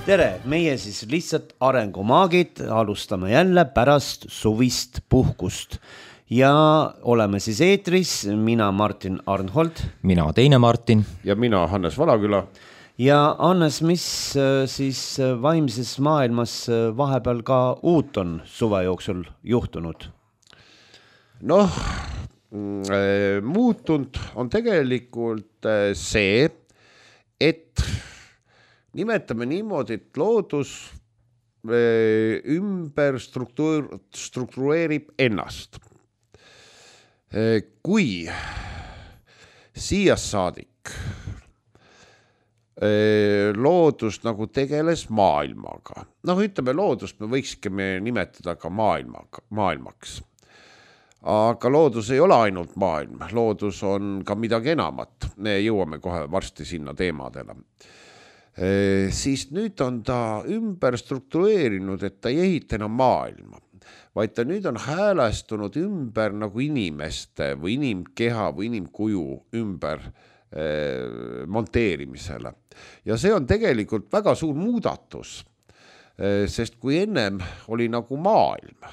Tere, meie siis lihtsalt arengumaagid alustame jälle pärast suvist puhkust ja oleme siis eetris, mina Martin Arnhold. Mina teine Martin. Ja mina Hannes Valaküla. Ja Hannes, mis siis vaimses maailmas vahepeal ka uut on suve jooksul juhtunud? Noh, muutunud on tegelikult see, et nimetame niimoodi, et loodus ümber struktureerib ennast. Kui siia saadik loodus nagu tegeles maailmaga, ütleme loodust me võikski nimetada ka maailmaks. Aga loodus ei ole ainult maailm, loodus on ka midagi enamat. Me jõuame kohe varsti sinna teemadele. Siis nüüd on ta ümber struktureerinud, et ta ei ehita enam maailma, vaid ta nüüd on häälestunud ümber nagu inimeste või inimkeha või inimkuju ümber monteerimisele. Ja see on tegelikult väga suur muudatus, sest kui ennem oli nagu maailm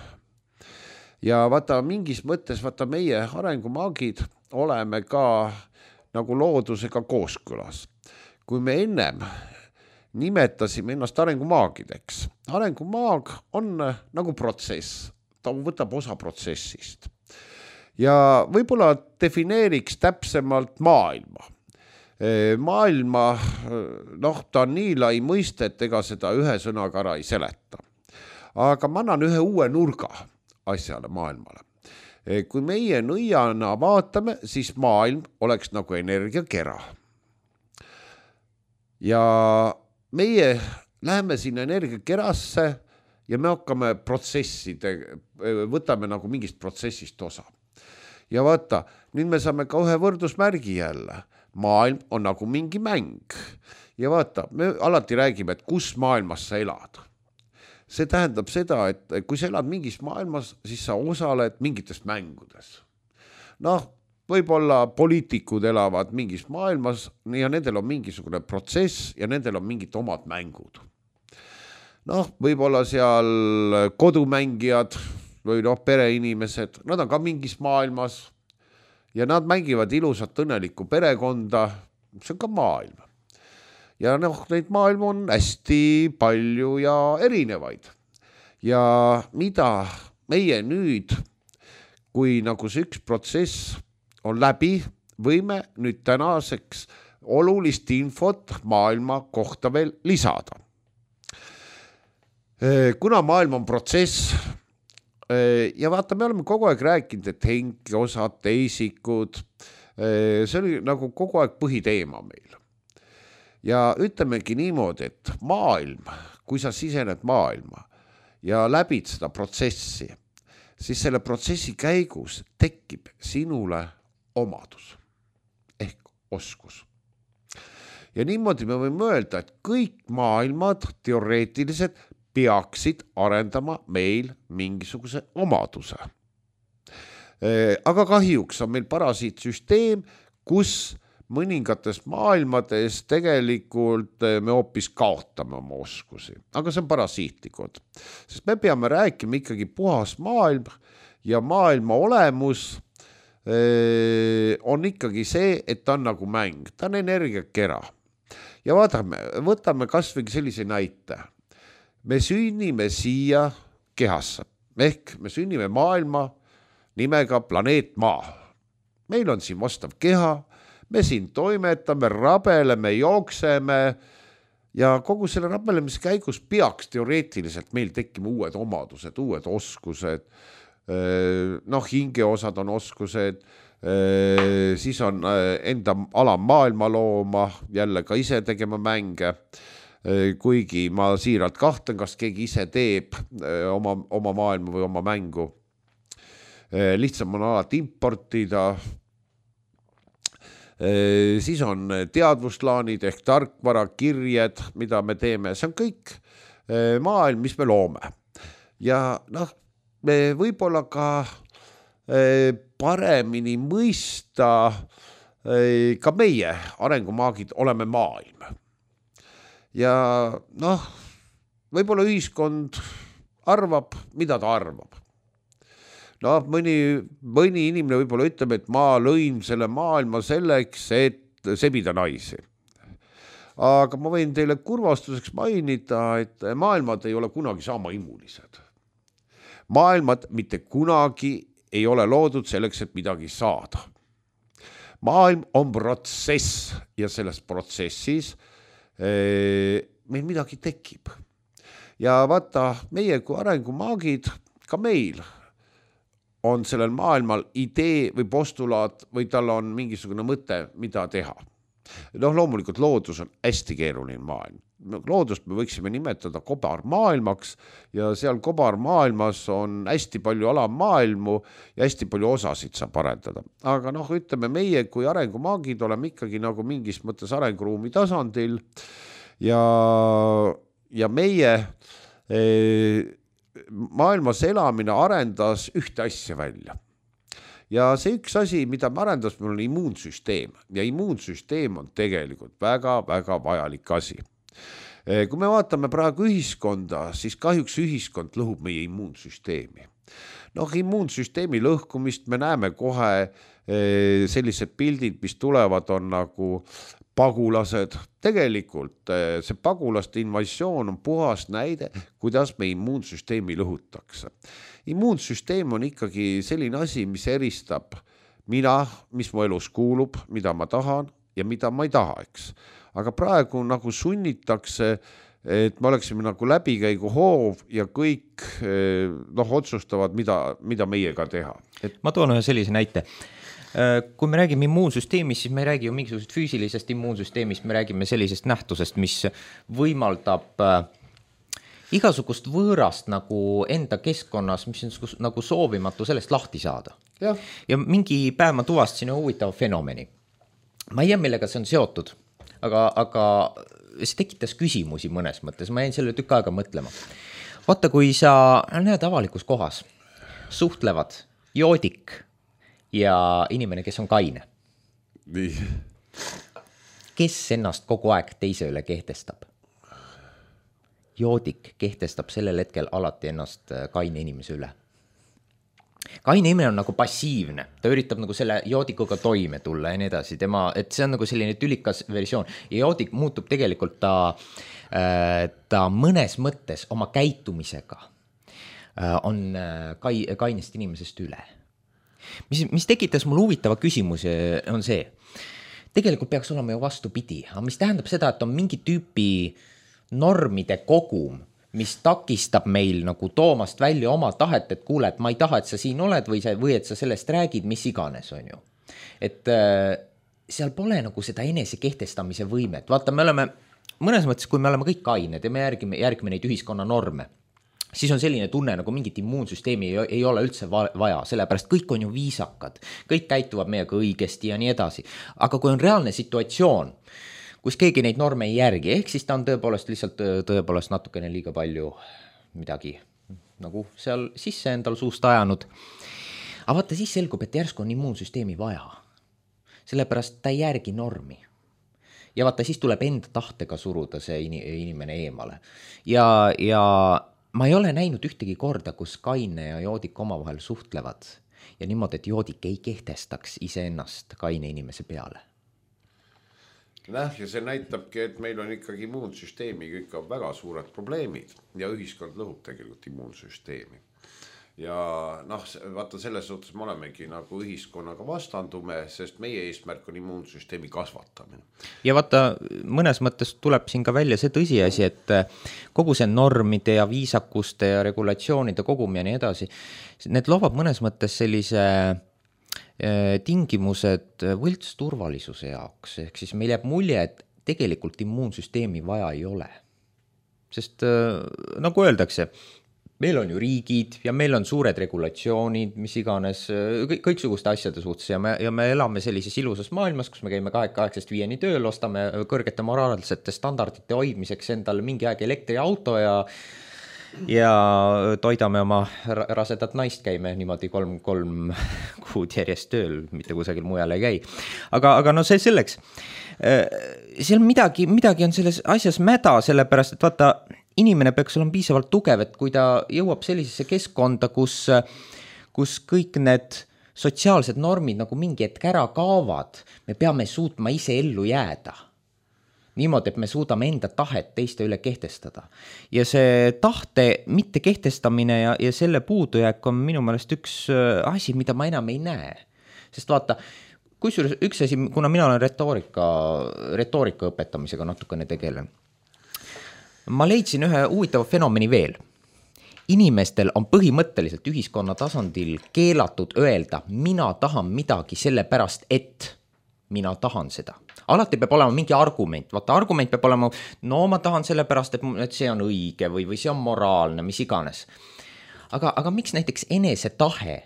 ja vaata mingis mõttes meie arengumaagid oleme ka nagu loodusega kooskõlas. Kui me ennem nimetasime ennast arengumaagideks. Arengumaag on nagu protsess, ta võtab osa protsessist. Ja võib-olla defineeriks täpsemalt maailma. Maailma, ta on nii lai mõiste, et ega seda ühe sõnaga ära ei seleta. Aga ma annan ühe uue nurga asjale maailmale. Kui meie nõiana vaatame, siis maailm oleks nagu energiakera. Ja meie läheme sinna energiakerasse ja me hakkame võtame nagu mingist protsessist osa. Ja vaata, nüüd me saame ka ühe võrdusmärgi jälle. Maailm on nagu mingi mäng. Ja vaata, me alati räägime, et kus maailmas sa elad. See tähendab seda, et kui sa elad mingis maailmas, siis sa osaled mingites mängudes. Võib-olla poliitikud elavad mingis maailmas ja nendel on mingisugune protsess ja nendel on mingid omad mängud. Võib-olla seal kodumängijad või pereinimesed, nad on ka mingis maailmas ja nad mängivad ilusat õnnelikku perekonda, see on ka maailm. Ja neid maailm on hästi palju ja erinevaid. Ja mida meie nüüd, kui nagu see üks protsess on läbi, võime nüüd tänaseks olulist infot maailma kohta veel lisada. Kuna maailm on protsess ja vaata, me oleme kogu aeg rääkinud, et henkeosad, teisikud, see oli nagu kogu aeg põhiteema meil. Ja ütlemegi niimoodi, et maailm, kui sa sisened maailma ja läbid seda protsessi, siis selle protsessi käigus tekib sinule omadus ehk oskus. Ja niimoodi me võime öelda, et kõik maailmad teoreetiliselt peaksid arendama meil mingisuguse omaduse. Aga kahjuks on meil parasiitsüsteem, kus mõningates maailmades tegelikult me hoopis kaotame oma oskusi. Aga see on parasiitlikud. Sest me peame rääkima ikkagi puhas maailm ja maailma olemus on ikkagi see, et ta on nagu mäng, ta on energiakera. Ja võtame kas või sellise näite. Me sünnime siia kehasse, ehk me sünnime maailma nimega planeet Maa. Meil on siin vastav keha, me siin toimetame, rabeleme, jookseme ja kogu selle rabelemise käigus peaks teoreetiliselt meil tekkima uued omadused, uued oskused, hingeosad on oskused, siis on enda alam maailma looma, jälle ka ise tegema mänge, kuigi ma siiralt kahtlen, kas keegi ise teeb oma maailma või oma mängu. Lihtsam on alati importida. Siis on teadvuslaanid ehk tarkvara, kirjed, mida me teeme. See on kõik maailm, mis me loome. Ja me võib-olla ka paremini mõista ka meie arengumaagid oleme maailm. Ja võib-olla ühiskond arvab, mida ta arvab. No mõni inimene võib-olla ütleb, et ma lõin selle maailma selleks, et sebida naisi. Aga ma võin teile kurvastuseks mainida, et maailmad ei ole kunagi sama imulised. Maailmad mitte kunagi ei ole loodud selleks, et midagi saada. Maailm on protsess ja selles protsessis meil midagi tekib. Ja vaata, meie kui arengumaagid, ka meil on sellel maailmal idee või postulaat või tal on mingisugune mõte, mida teha. Loomulikult loodus on hästi keeruline maailm. Loodust me võiksime nimetada kobarmaailmaks ja seal kobarmaailmas on hästi palju alamaailmu ja hästi palju osasid saab arendada. Aga ütleme, meie kui arengumaagid oleme ikkagi nagu mingis mõttes arenguruumi tasandil ja meie maailmas elamine arendas ühte asja välja. Ja see üks asi, mida me arendas, meil on immuunsüsteem ja immuunsüsteem on tegelikult väga-väga vajalik asi. Kui me vaatame praegu ühiskonda, siis kahjuks ühiskond lõhub meie immuunsüsteemi. Immuunsüsteemi lõhkumist me näeme kohe sellised pildid, mis tulevad, on nagu pagulased. Tegelikult see pagulaste invasioon on puhas näide, kuidas me immuunsüsteemi lõhutakse. Immuunsüsteem on ikkagi selline asi, mis eristab mis mu elus kuulub, mida ma tahan ja mida ma ei taha, eks. Aga praegu nagu sunnitakse, et me oleksime nagu läbikäigu hoov ja kõik otsustavad, mida meiega teha. Ma toon ühe sellise näite. Kui me räägime immuunsüsteemist, siis me ei räägi ju mingisugusest füüsilisest immuunsüsteemist, me räägime sellisest nähtusest, mis võimaldab igasugust võõrast nagu enda keskkonnas, mis on nagu soovimatu sellest lahti saada. Ja mingi päev ma tuvastasin huvitava fenomeni. Ma ei tea, millega see on seotud, aga see tekitas küsimusi mõnes mõttes. Ma jäin selle tükk aega mõtlema. Vaata, kui sa näed avalikus kohas, suhtlevad joodik ja inimene, kes on kaine. Kes ennast kogu aeg teise üle kehtestab? Joodik kehtestab sellel hetkel alati ennast kaine inimese üle. Kaine inimene on nagu passiivne, ta üritab nagu selle joodikuga toime tulla ja nii edasi, et see on nagu selline tülikas versioon ja joodik muutub tegelikult ta mõnes mõttes oma käitumisega on kainest inimesest üle. Mis tekitas mul huvitava küsimuse on see, tegelikult peaks olema ju vastupidi, aga mis tähendab seda, et on mingi tüüpi normide kogum, mis takistab meil nagu toomast välja oma tahet, et kuule, et ma ei taha, et sa siin oled või et sa sellest räägid, mis iganes on ju. Et seal pole nagu seda enese kehtestamise võimet. Vaata, me oleme mõnes mõttes, kui me oleme kõik kained ja me järgime neid ühiskonna norme, siis on selline tunne, nagu mingit immuunsüsteemi ei ole üldse vaja, sellepärast kõik on ju viisakad, kõik käituvad meiega õigesti ja nii edasi. Aga kui on reaalne situatsioon, kus keegi neid norme ei järgi, ehk siis ta on tõepoolest natukene liiga palju midagi nagu seal sisse endal suust ajanud. Aga vaata, siis selgub, et järsku on immuunsüsteemi vaja. Sellepärast ta ei järgi normi. Ja vaata, siis tuleb enda tahtega suruda see inimene eemale. Ja ma ei ole näinud ühtegi korda, kus kaine ja joodik omavahel suhtlevad ja niimoodi, et joodik ei kehtestaks iseennast kaine inimese peale. Ja see näitabki, et meil on ikkagi immuunsüsteemiga ikka väga suured probleemid ja ühiskond lõhub tegelikult immuunsüsteemi. Ja vaata, selles suhtes me olemegi nagu ühiskonnaga vastandume, sest meie eesmärk on immuunsüsteemi kasvatamine. Ja vaata, mõnes mõttes tuleb siin ka välja see tõsiasi, et kogu see normide ja viisakuste ja regulatsioonide kogum ja nii edasi, need loovad mõnes mõttes sellise tingimused võlts turvalisuse jaoks, ehk siis meil jääb mulje, et tegelikult immuunsüsteemi vaja ei ole. Sest nagu öeldakse, meil on ju riigid ja meil on suured regulatsioonid, mis iganes, kõiksuguste asjade suhtes ja me elame sellises ilusas maailmas, kus me käime 8-5 tööl, ostame kõrgete moraalsete standardite hoidmiseks endale mingi aeg elektriauto ja toidame oma rasedat naist, käime niimoodi 3 kuud järjest tööl, mitte kusagil mujal ei käi. Aga see selleks. Seal midagi on selles asjas mäda, sellepärast, et vaata, inimene peaks olema piisavalt tugev, et kui ta jõuab sellisesse keskkonda, kus kõik need sotsiaalsed normid nagu mingi hetk ära kaovad, me peame suutma ise ellu jääda. Niimoodi, et me suudame enda tahet teiste üle kehtestada. Ja see tahte mitte kehtestamine ja selle puudujääk on minu meelest üks asi, mida ma enam ei näe. Sest vaata, kusjuures üks asi, kuna mina olen retoorika õpetamisega natukene tegelen, ma leidsin ühe huvitava fenomeni veel. Inimestel on põhimõtteliselt ühiskonna tasandil keelatud öelda, mina tahan midagi sellepärast, et mina tahan seda. Alati peab olema mingi argument. Vaata, argument peab olema, no ma tahan sellepärast, et see on õige või see on moraalne, mis iganes. Aga miks näiteks enesetahe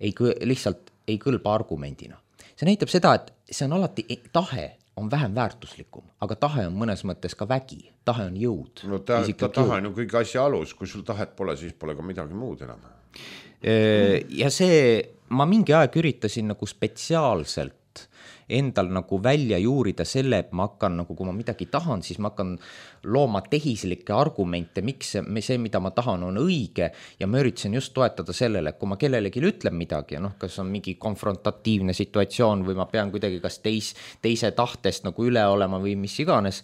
lihtsalt ei kõlba argumendina? See näitab seda, et see on alati, tahe on vähem väärtuslikum, aga tahe on mõnes mõttes ka vägi, tahe on jõud. No tahe on ju kõige asja alus, kui sul tahet pole, siis pole ka midagi muud enam. Ja see, ma mingi aeg üritasin nagu spetsiaalselt endal nagu välja juurida selle, et ma hakkan nagu, kui ma midagi tahan, siis ma hakkan looma tehislikke argumente, miks see, mida ma tahan, on õige ja ma üritasin just toetada sellele, et kui ma kellelegi ütlen midagi, kas on mingi konfrontatiivne situatsioon või ma pean kuidagi kas teise tahtest nagu üle olema või mis iganes,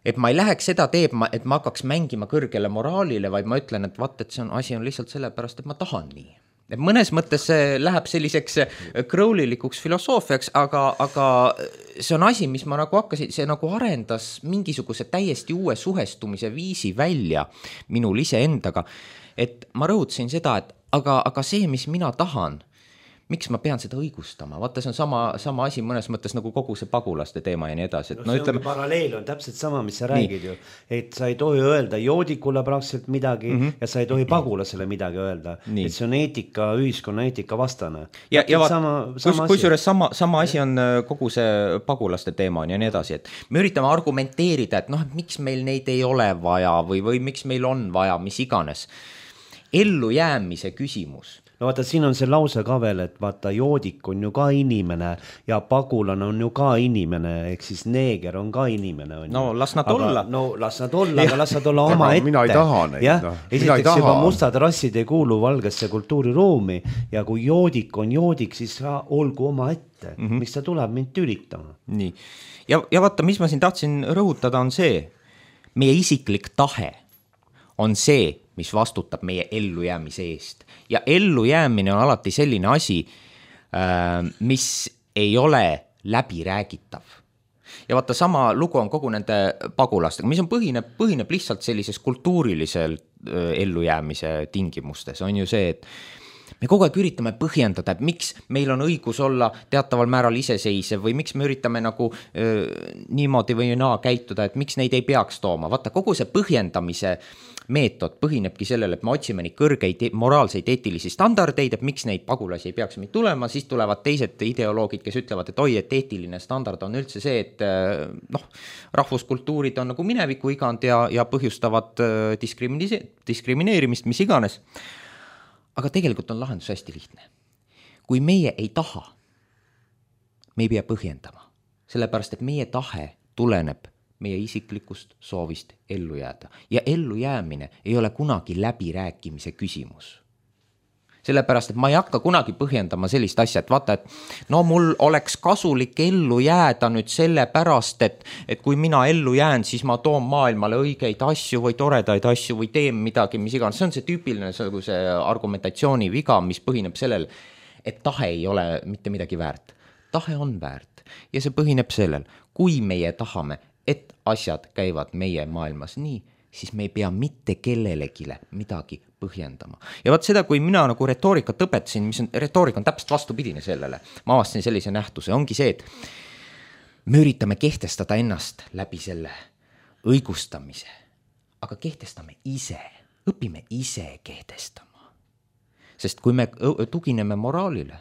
et ma ei läheks seda teeb, et ma hakkaks mängima kõrgele moraalile, vaid ma ütlen, et vaat, et see asi on lihtsalt sellepärast, et ma tahan nii. Et mõnes mõttes see läheb selliseks krõulilikuks filosoofiaks, aga see on asi, mis ma nagu hakkasin, see nagu arendas mingisuguse täiesti uue suhestumise viisi välja minul iseendaga, et ma rõhutasin seda, et aga see, mis mina tahan, miks ma pean seda õigustama? Vaata, see on sama asi mõnes mõttes nagu kogu see pagulaste teema ja nii edasi. No, see ütleme, paralleel on täpselt sama, mis sa räägid ju. Et sa ei tohi öelda joodikule praktiliselt midagi ja sa ei tohi pagulasele midagi öelda. Nii. Et see on ühiskonna eetika vastane. Ja kusjuures sama asi on kogu see pagulaste teema ja nii edasi. Et me üritame argumenteerida, et miks meil neid ei ole vaja või miks meil on vaja, mis iganes. Ellu jäämise küsimus. No vaata, siin on see lause ka veel, et vaata, joodik on ju ka inimene ja pagulane on ju ka inimene, ehk siis neeger on ka inimene. On no las nad olla. No las nad olla, aga las nad olla oma ette. Mina ei taha neid. Esiteks juba mustad rassid ei kuulu valgesse kultuuriruumi ja kui joodik on joodik, siis olgu oma ette. Miks ta tuleb mind tülitama? Nii. Ja vaata, mis ma siin tahtsin rõhutada on see, meie isiklik tahe on see, mis vastutab meie ellujäämise eest. Ja ellujäämine on alati selline asi, mis ei ole läbiräägitav. Ja vaata, sama lugu on kogu nende pagulastega, mis on põhineb lihtsalt sellises kultuurilisel ellujäämise tingimustes. On ju see, et me kogu aeg üritame põhjendada, et miks meil on õigus olla teataval määral iseseisev või miks me üritame nagu niimoodi või naa käituda, et miks neid ei peaks tooma. Vaata, kogu see põhjendamise meetod põhinebki sellele, et me otsime neid kõrgeid moraalseid eetilisi standardeid, et miks neid pagulasi ei peaks meid tulema, siis tulevad teised ideoloogid, kes ütlevad, et et eetiline standard on üldse see, et rahvuskultuurid on nagu mineviku igand ja põhjustavad diskrimineerimist, mis iganes. Aga tegelikult on lahendus hästi lihtne. Kui meie ei taha, me ei pea põhjendama, sellepärast, et meie tahe tuleneb meie isiklikust soovist ellu jääda. Ja ellu jäämine ei ole kunagi läbirääkimise küsimus. Sellepärast, et ma ei hakka kunagi põhjendama sellist asja, et vaata, et mul oleks kasulik ellu jääda nüüd selle pärast, et kui mina ellu jään, siis ma toon maailmale õigeid asju või toredaid asju või teen midagi, mis iganes. See on see tüüpiline see argumentatsiooni viga, mis põhineb sellel, et tahe ei ole mitte midagi väärt. Tahe on väärt ja see põhineb sellel, kui meie tahame, et asjad käivad meie maailmas nii, siis me ei pea mitte kellelegile midagi põhjendama. Ja vaat seda, kui mina nagu retoorikat õpetasin, retoorika on täpselt vastupidine sellele, ma avastasin sellise nähtuse, ongi see, et me üritame kehtestada ennast läbi selle õigustamise, aga kehtestame ise, õpime ise kehtestama. Sest kui me tugineme moraalile,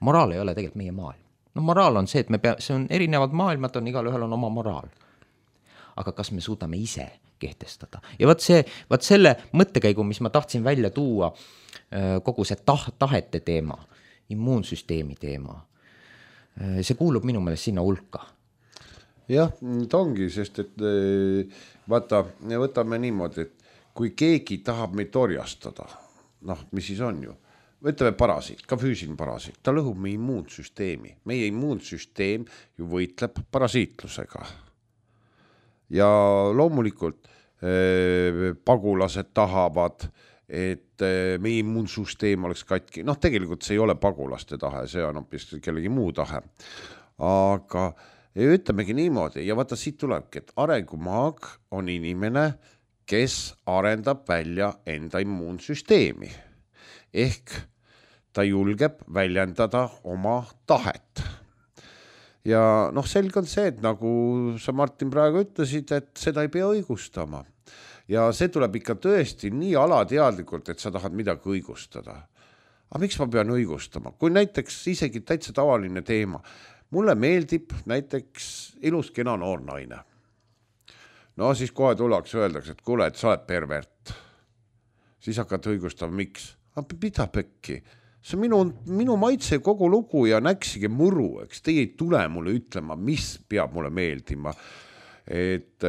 moraal ei ole tegelikult meie maailm. Moraal on see, et see on erinevad maailmad, igalühel on oma moraal. Aga kas me suudame ise kehtestada? Ja vaat selle mõttekäigu, mis ma tahtsin välja tuua, kogu see tahete teema, immuunsüsteemi teema, see kuulub minu meelest sinna hulka. jah, ta ongi, sest et vaata, võtame niimoodi, et kui keegi tahab meid orjastada, noh, mis siis on ju, ütleme parasiit, ka füüsiline parasiit, ta lõhub meie immuunsüsteemi. Meie immuunsüsteem ju võitleb parasiitlusega. Ja loomulikult pagulased tahavad, et meie immuunsüsteem oleks katki. Noh, tegelikult see ei ole pagulaste tahe, see on hoopis kellegi muu tahe. Aga ütlemegi niimoodi, ja vaata siit tulebki, et arengumaag on inimene, kes arendab välja enda immuunsüsteemi. Ehk ta julgeb väljendada oma tahet. Ja noh, selge on see, et nagu sa Martin praegu ütlesid, et seda ei pea õigustama. Ja see tuleb ikka tõesti nii alateadlikult, et sa tahad midagi õigustada. Aga miks ma pean õigustama? Kui näiteks isegi täitsa tavaline teema. Mulle meeldib näiteks ilus kena noor naine. No siis kohe tuleks öeldakse, et kuule, et sa oled pervert. Siis hakkad õigustama, miks? Mida pekki? See on minu maitse kogu lugu ja näksige muru, eks teie ei tule mulle ütlema, mis peab mulle meeldima. Et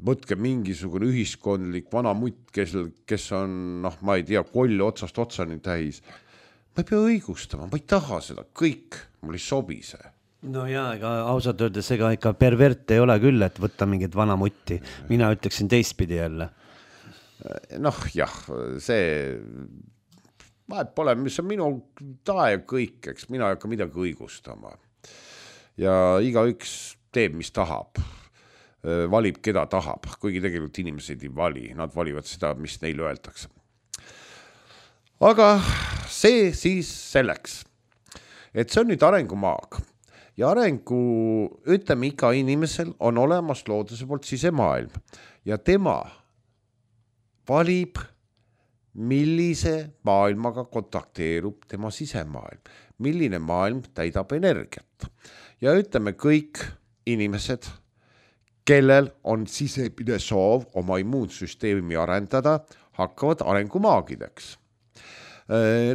võtke mingisugune ühiskondlik vana mutt, kes on, noh, ma ei tea, koll otsast otsani täis. Ma ei pea õigustama, ma ei taha seda, kõik, mul ei sobi see. No jaa, ega ausalt öeldes ega ikka pervert ei ole küll, et võtta mingit vana mutti. Mina ütleksin teistpidi jälle. Noh, jah, see vahet pole, mis on minu tae kõik, eks mina ei hakka midagi õigustama. Ja igaüks teeb, mis tahab. Valib, keda tahab, kuigi tegelikult inimesed ei vali, nad valivad seda, mis neile öeldakse. Aga see siis selleks, et see on nüüd arengumaag ja ütleme, iga inimesel on olemas looduse poolt sisemaailm ja tema valib, millise maailmaga kontakteerub tema sisemaailm, milline maailm täidab energiat ja ütleme kõik inimesed, kellel on sisemine soov oma immuunsüsteemi arendada, hakkavad arengumaagideks.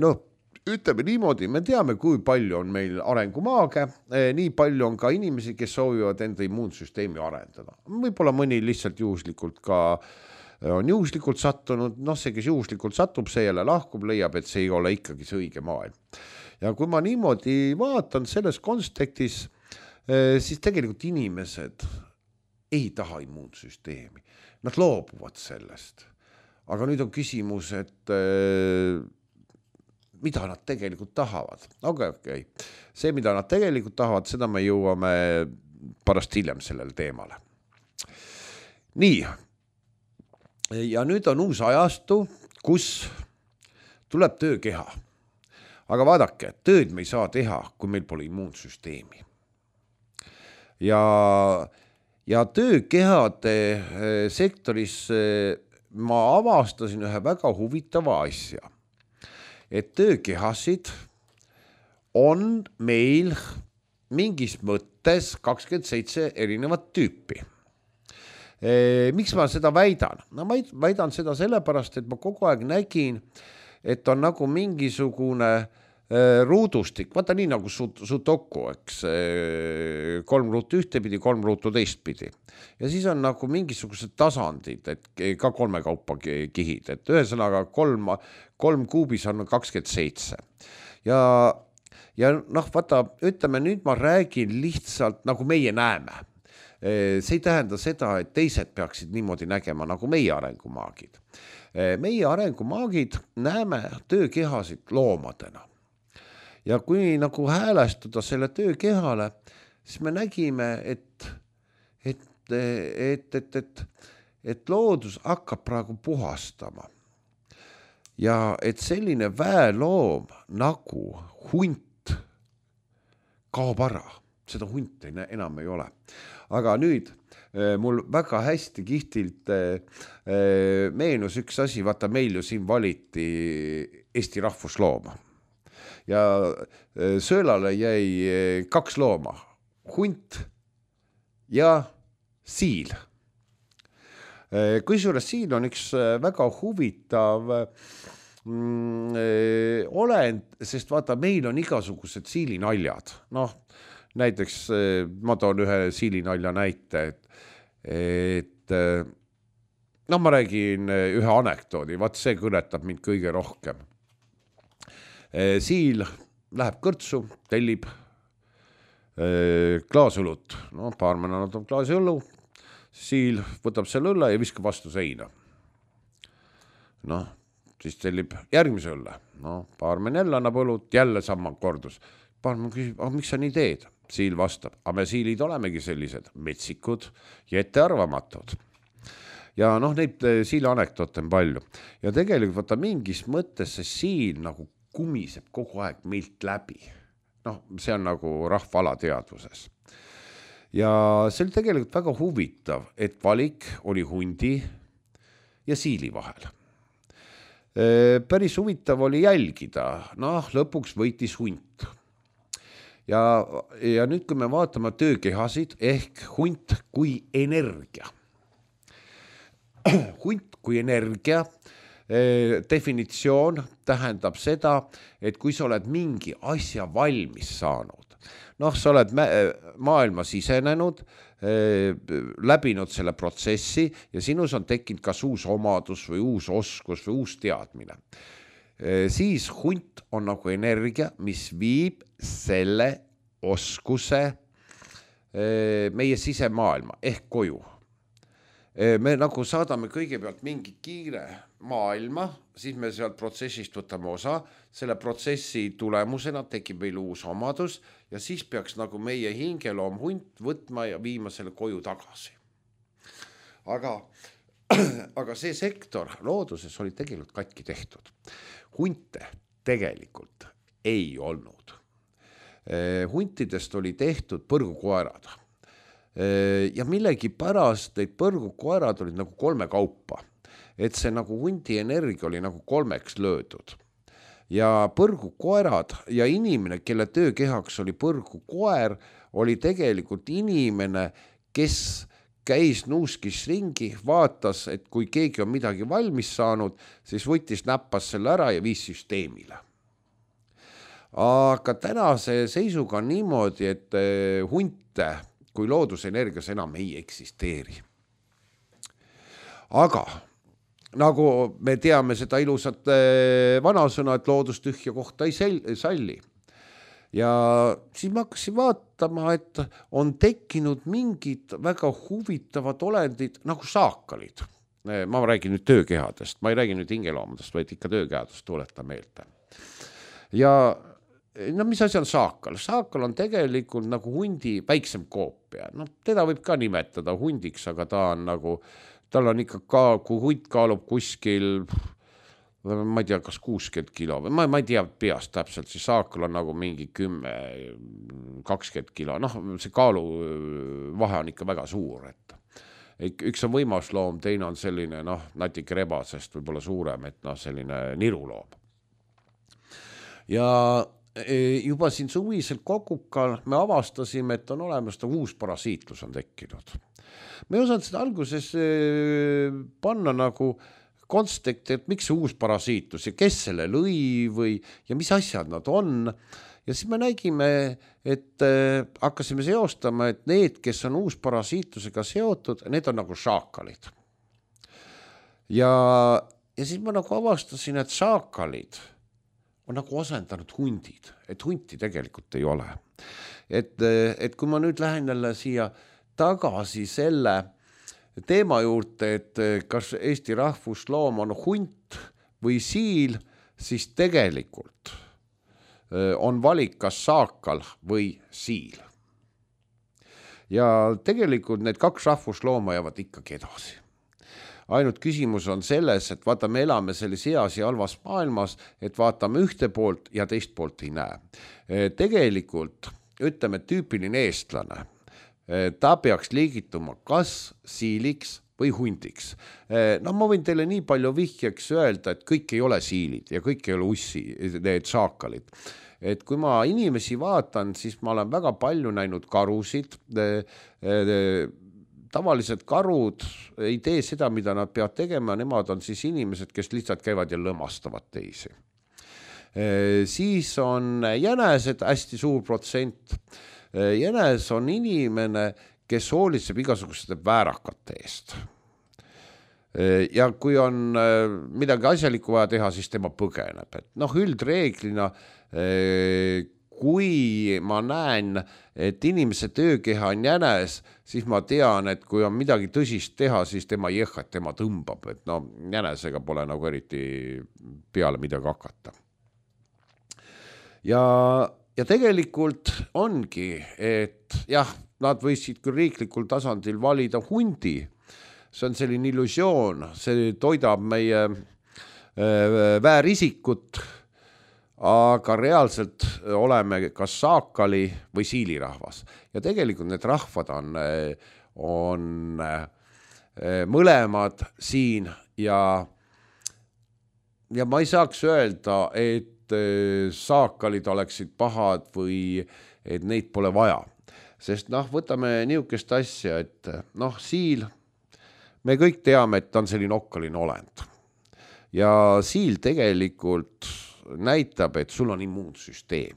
No, ütleme niimoodi, me teame, kui palju on meil arengumaage, nii palju on ka inimesi, kes soovivad enda immuunsüsteemi arendada. Võib-olla mõni lihtsalt juhuslikult ka on juhuslikult sattunud, noh see, kes juhuslikult satub, see jälle lahkub, leiab, et see ei ole ikkagi see õige maailm. Ja kui ma niimoodi vaatan selles kontekstis, siis tegelikult inimesed ei taha immuunsüsteemi. Nad loobuvad sellest. Aga nüüd on küsimus, et mida nad tegelikult tahavad. Okay. See, mida nad tegelikult tahavad, seda me jõuame pärast hiljem sellele teemale. Nii. Ja nüüd on uus ajastu, kus tuleb töökeha. Aga vaadake, tööd me ei saa teha, kui meil pole immuunsüsteemi. Ja töökehade sektoris ma avastasin ühe väga huvitava asja. Et töökehasid on meil mingis mõttes 27 erinevat tüüpi. Miks ma seda väidan? No ma väidan seda sellepärast, et ma kogu aeg nägin, et on nagu mingisugune ruudustik, vaata nii nagu sudoku, eks, 3 ruutu ühtepidi, 3 ruutu teistpidi. Ja siis on nagu mingisugused tasandid, et ka 3 kaupa kihid, et ühesõnaga 3 kuubis on 27. Ja noh, vaata, ütleme nüüd ma räägin lihtsalt nagu meie näeme. See ei tähenda seda, et teised peaksid niimoodi nägema nagu meie arengumaagid. Meie arengumaagid näeme töökehasid loomadena. Ja kui nagu häälestuda selle töökehale, siis me nägime, et loodus hakkab praegu puhastama. Ja et selline väeloom nagu hunt kaob ära. Seda hunti enam ei ole. Aga nüüd mul väga hästi kihtilt meenus üks asi, vaata meil ju siin valiti Eesti rahvuslooma. Ja söölale jäi 2 looma, hunt ja siil. Kusjuures siil on üks väga huvitav olend, sest vaata, meil on igasugused siilinaljad. Noh, näiteks ma toon ühe siilinalja näite, et ma räägin ühe anekdoodi, vaat see kõnetab mind kõige rohkem. Siil läheb kõrtsu, tellib klaasõlut, baarmen annab klaasi õllu, siil võtab selle õlle ja viskab vastu seina. Siis tellib järgmise õlle, baarmen jälle annab õlut, jälle sama kordus. Baarmen küsib, miks sa nii teed? Siil vastab, me siilid olemegi sellised metsikud ja ettearvamatud. Ja neid siili anekdoote on palju. Ja tegelikult vaata mingis mõttes see siil nagu kumiseb kogu aeg meilt läbi. See on nagu rahva alateadvuses. Ja see oli tegelikult väga huvitav, et valik oli hundi ja siili vahel. Päris huvitav oli jälgida, lõpuks võitis hunt. Ja nüüd, kui me vaatame töökehasid ehk hunt kui energia. Hunt kui energia definitsioon tähendab seda, et kui sa oled mingi asja valmis saanud, sa oled maailma sisenenud, läbinud selle protsessi ja sinus on tekkinud kas uus omadus või uus oskus või uus teadmine, siis hunt on nagu energia, mis viib selle oskuse meie sisemaailma ehk koju. Me nagu saadame kõigepealt mingi kiire maailma, siis me sealt protsessist võtame osa, selle protsessi tulemusena tekib meil uus omadus ja siis peaks nagu meie hingeloom hunt võtma ja viima selle koju tagasi. Aga see sektor looduses oli tegelikult katki tehtud. Hunte tegelikult ei olnud. Huntidest oli tehtud põrgukoerad. Ja millegi pärast neid põrgukoerad olid nagu 3 kaupa, et see nagu hundi energia oli nagu 3 löödud. Ja põrgukoerad ja inimene, kelle töökehaks oli põrgukoer, oli tegelikult inimene, kes käis nuuskis ringi, vaatas, et kui keegi on midagi valmis saanud, siis võttis näppas selle ära ja viis süsteemile. Aga tänase seisuga on niimoodi, et hunte kui loodusenergias enam ei eksisteeri. Aga nagu me teame seda ilusat vanasõna, et loodus tühja kohta ei salli. Ja siis ma hakkasin vaatama, et on tekkinud mingid väga huvitavad olendid nagu saakalid. Ma räägin nüüd töökehadest, ma ei räägi nüüd hingeloomadest, vaid ikka töökehadest, tuleta meelde. Ja mis asi on saakal? Saakal on tegelikult nagu hundi väiksem koopia. Teda võib ka nimetada hundiks, aga ta on nagu, tal on ikka kui hunt kaalub kuskil, ma ei tea, kas 60 kilo või ma ei tea peast täpselt, siis saakal on nagu mingi 10-20 kilo. See kaalu vahe on ikka väga suur, et üks on võimasloom, teine on selline, natuke rebasest võib-olla suurem, et selline niruloom. Ja juba siin suvisel kokukal me avastasime, et on olemas uus parasiitlus on tekkinud. Me ei osanud seda alguses panna nagu konteksti, et miks see uus parasiitlus ja kes selle lõi ja mis asjad nad on. Ja siis me nägime, et hakkasime seostama, et need, kes on uus parasiitlusega seotud, need on nagu šaakalid. Ja siis ma nagu avastasin, et šaakalid on nagu asendanud hundid, et hunti tegelikult ei ole. Et kui ma nüüd lähen jälle siia tagasi selle teema juurde, et kas Eesti rahvusloom on hunt või siil, siis tegelikult on valik kas saakal või siil. Ja tegelikult need 2 rahvuslooma jäävad ikkagi edasi. Ainult küsimus on selles, et vaata, me elame selles heas ja halvas maailmas, et vaatame ühte poolt ja teist poolt ei näe. Tegelikult, ütleme, tüüpiline eestlane, ta peaks liigituma kas siiliks või hundiks. Ma võin teile nii palju vihjeks öelda, et kõik ei ole siilid ja kõik ei ole ussi, need saakalid. Et kui ma inimesi vaatan, siis ma olen väga palju näinud karusid, tavaliselt karud ei tee seda, mida nad peavad tegema, nemad on siis inimesed, kes lihtsalt käivad ja lõmastavad teisi. Siis on jänesed hästi suur protsent, jänes on inimene, kes hoolitseb igasuguste väärakate eest. Ja kui on midagi asjalikku vaja teha, siis tema põgeneb. Et noh, üldreeglina, kui ma näen, et inimese töökeha on jänes, siis ma tean, et kui on midagi tõsist teha, siis tema jõhkat, tema tõmbab. Et no jänesega pole nagu eriti peale midagi hakata. Ja tegelikult ongi, et jah, nad võisid küll riiklikul tasandil valida hundi. See on selline illusioon, see toidab meie väärisikut, aga reaalselt oleme kas saakali või siilirahvas. Ja tegelikult need rahvad on mõlemad siin ja ma ei saaks öelda, et saakalid oleksid pahad või et neid pole vaja. Sest võtame niisugust asja, et siil, me kõik teame, et ta on selline okkaline olend. Ja siil tegelikult näitab, et sul on immuunsüsteem.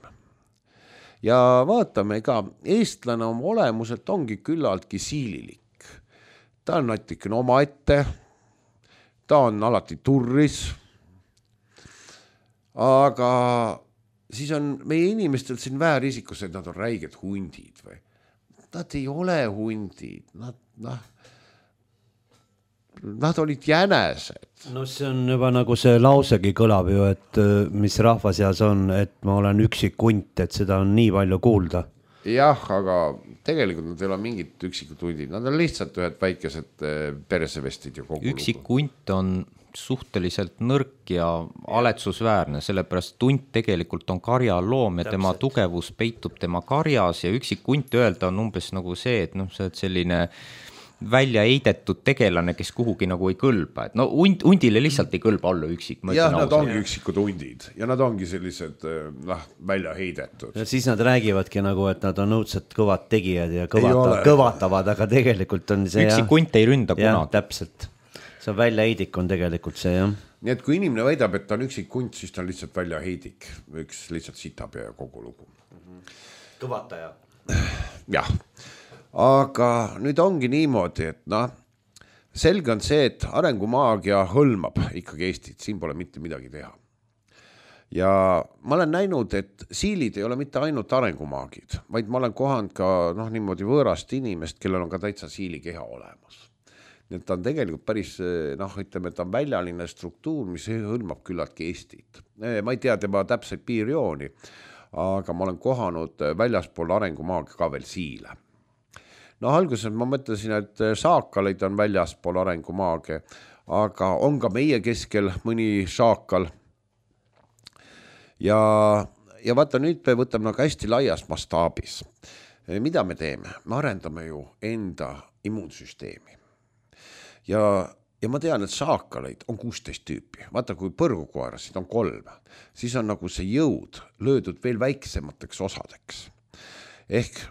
Ja vaatame ka, eestlane oma olemuselt ongi küllaltki siililik. Ta on natikene omaette, ta on alati turris, aga siis on meie inimestel siin väärisikus, et nad on räiged hundid või. Nad ei ole hundid, nad olid jänesed. No see on juba nagu see lausegi kõlab ju, et mis rahvaseas on, et ma olen üksik hunt, et seda on nii palju kuulda. Jah, aga tegelikult nad ei ole mingid üksikud hundid, nad on lihtsalt ühed väikesed peresevestid ja kogu üksik hunt on suhteliselt nõrk ja aletsusväärne, sellepärast hunt tegelikult on karjaloom ja tema tugevus peitub tema karjas ja üksik hunt öelda on umbes nagu see, et see on selline välja heidetud tegelane, kes kuhugi nagu ei kõlba. Et hundile lihtsalt ei kõlba olla üksik. Ja nad ongi üksikud hundid ja nad ongi sellised välja heidetud. Ja siis nad räägivadki nagu, et nad on õudselt kõvad tegijad ja kõvatavad, aga tegelikult on see üksik hunt ei ründa kunagi. Täpselt. See on väljaheidik on tegelikult see, jah. Nii et kui inimene väidab, et ta on üksik hunt, siis ta on lihtsalt väljaheidik. Üks lihtsalt sitab ja kogu lugu. Kõvataja. Jah. Aga nüüd ongi niimoodi, et selge on see, et arengumaagia hõlmab ikkagi Eestit, siin pole mitte midagi teha. Ja ma olen näinud, et siilid ei ole mitte ainult arengumaagid, vaid ma olen kohanud ka niimoodi võõrast inimest, kellel on ka täitsa siilikeha olemas. Nii et ta on tegelikult päris, ütleme, et ta on väljaline struktuur, mis hõlmab küllaltki Eestit. Ma ei tea tema täpseid piirjooni, aga ma olen kohanud väljaspool arengumaagia ka veel siile. Alguses ma mõtlesin, et saakaleid on väljaspool arengumaage, aga on ka meie keskel mõni saakal. Ja vaata, nüüd me võtame hästi laias mastaabis. Mida me teeme? Me arendame ju enda immuunsüsteemi. Ja ma tean, et saakaleid on 16 tüüpi. Vaata, kui põrgukoerasid on 3, siis on nagu see jõud löödud veel väiksemateks osadeks. Ehk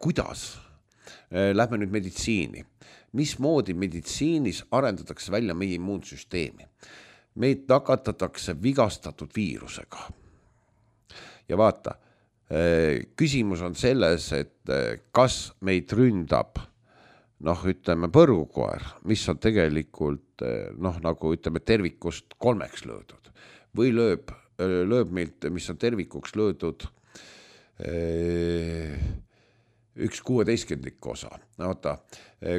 kuidas? Lähme nüüd meditsiini. Mismoodi meditsiinis arendatakse välja meie immuunsüsteemi? Meid nakatatakse vigastatud viirusega. Ja vaata, küsimus on selles, et kas meid ründab ütleme põrgukoer, mis on tegelikult nagu ütleme tervikust 3 löödud või lööb meilt, mis on tervikuks löödud 1/16 osa. Vaata,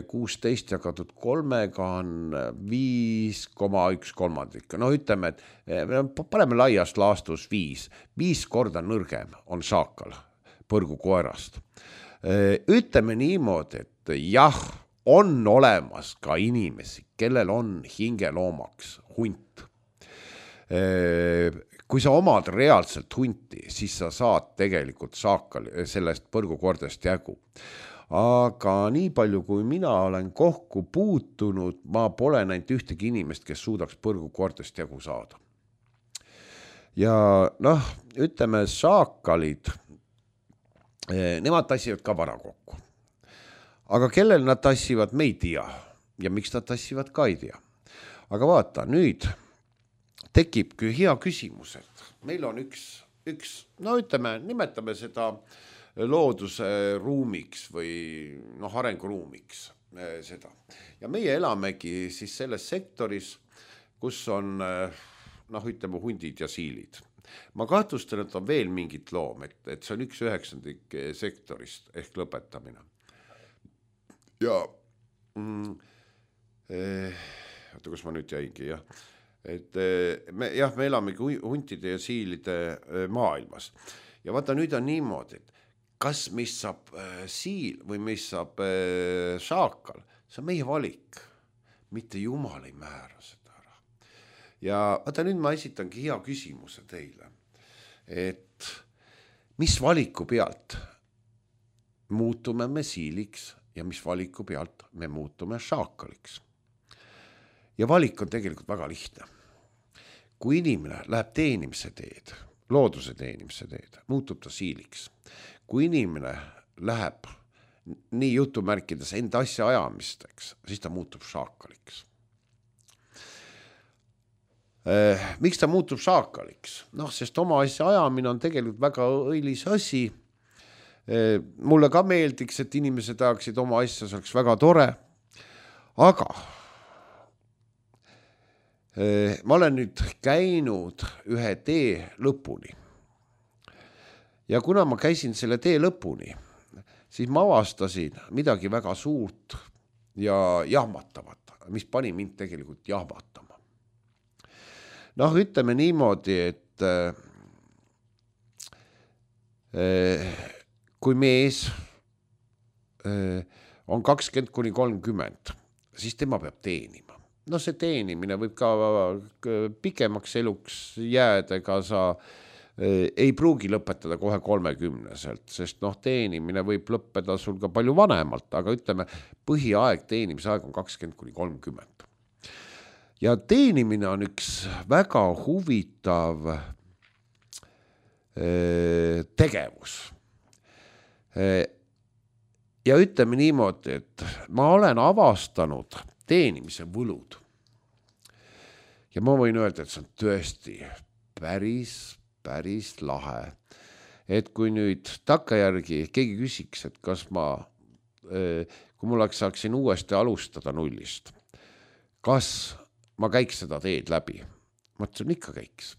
16 jagatud 3 on 5,1/3. Ütleme, et paneme laias laastus 5. 5 korda nõrgem on saakal põrgukoerast. Ütleme niimoodi, et jah, on olemas ka inimesi, kellel on hingeloomaks hunt. Kui sa omad reaalselt hunti, siis sa saad tegelikult sellest põrgukordest jagu. Aga nii palju, kui mina olen kokku puutunud, ma pole näinud ühtegi inimest, kes suudaks põrgukordest jagu saada. Ja ütleme, saakalid, nemad tassivad ka vara kokku. Aga kellel nad tassivad, me ei tea. Ja miks nad tassivad, ka ei tea. Aga vaata, nüüd tekibki hea küsimus, et meil on üks ütleme, nimetame seda looduse ruumiks või arenguruumiks seda. Ja meie elamegi siis selles sektoris, kus on ütleme hundid ja siilid. Ma kahtlustan, et on veel mingit loom, et see on 1/9 sektorist ehk lõpetamine. Ja oota, kus ma nüüd jäingi, jah. Et me elamegi huntide ja siilide maailmas. Ja vaata, nüüd on niimoodi, et kas mis saab siil või mis saab šaakal, see on meie valik. Mitte Jumal ei määra seda ära. Ja vaata, nüüd ma esitangi hea küsimuse teile. Et mis valiku pealt muutume me siiliks ja mis valiku pealt me muutume šaakaliks? Ja valik on tegelikult väga lihtne. Kui inimene läheb teenimise teed, looduse teenimise teed, muutub ta siiliks. Kui inimene läheb nii jutumärkides enda asja ajamisteks, siis ta muutub šaakaliks. Miks ta muutub šaakaliks? Sest oma asja ajamine on tegelikult väga õilis asi. Mulle ka meeldiks, et inimesed ajaksid oma asja, see oleks väga tore. Aga ma olen nüüd käinud ühe tee lõpuni. Ja kuna ma käisin selle tee lõpuni, siis ma avastasin midagi väga suurt ja jahmatavat, mis pani mind tegelikult jahmatama. Ütleme niimoodi, et kui mees on 20–30, siis tema peab teenima. See teenimine võib ka pikemaks eluks jääda, ega sa ei pruugi lõpetada kohe 30-selt, sest teenimine võib lõppeda sul ka palju vanemalt, aga ütleme, põhiaeg, teenimise aeg on 20–30. Ja teenimine on üks väga huvitav tegevus. Ja ütleme niimoodi, et ma olen avastanud teenimise võlud. Ja ma võin öelda, et see on tõesti päris lahe. Et kui nüüd takkajärgi keegi küsiks, et kas kui mul saaksin uuesti alustada nullist, kas ma käiks seda teed läbi? Ma ütlesin, ikka käiks.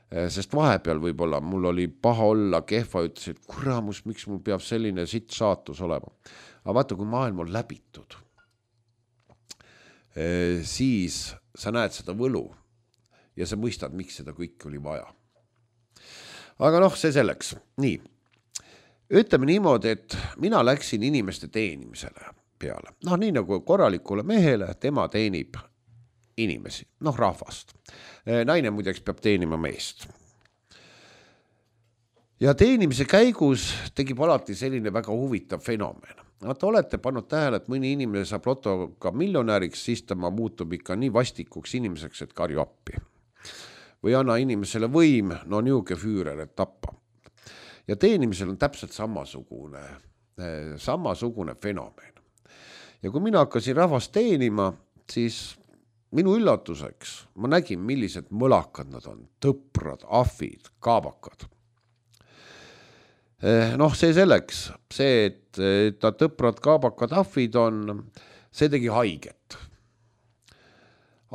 Sest vahepeal võib-olla mul oli paha olla, kehva, ütlesin, et kuramus, miks mul peab selline sitt saatus olema. Aga vaata, kui maailm on läbitud, siis sa näed seda võlu ja sa mõistad, miks seda kõik oli vaja. Aga see selleks. Nii. Ütleme niimoodi, et mina läksin inimeste teenimisele peale. Nii nagu korralikule mehele, tema teenib inimesi, rahvast. Naine muideks peab teenima meest. Ja teenimise käigus tegib alati selline väga huvitav fenomen. Te olete pannud tähele, et mõni inimene saab lotoga miljonäriks, siis tema muutub ikka nii vastikuks inimeseks, et karju appi. Või anna inimesele võim, niuke füürer, et tappa. Ja teenimisel on täpselt samasugune fenomen. Ja kui mina hakkasin rahvast teenima, siis minu üllatuseks ma nägin, millised mõlakad nad on. Tõprad, ahvid, kaabakad. See selleks, see, et ta tõprad, kaabakad, ahvid on, see tegi haiget.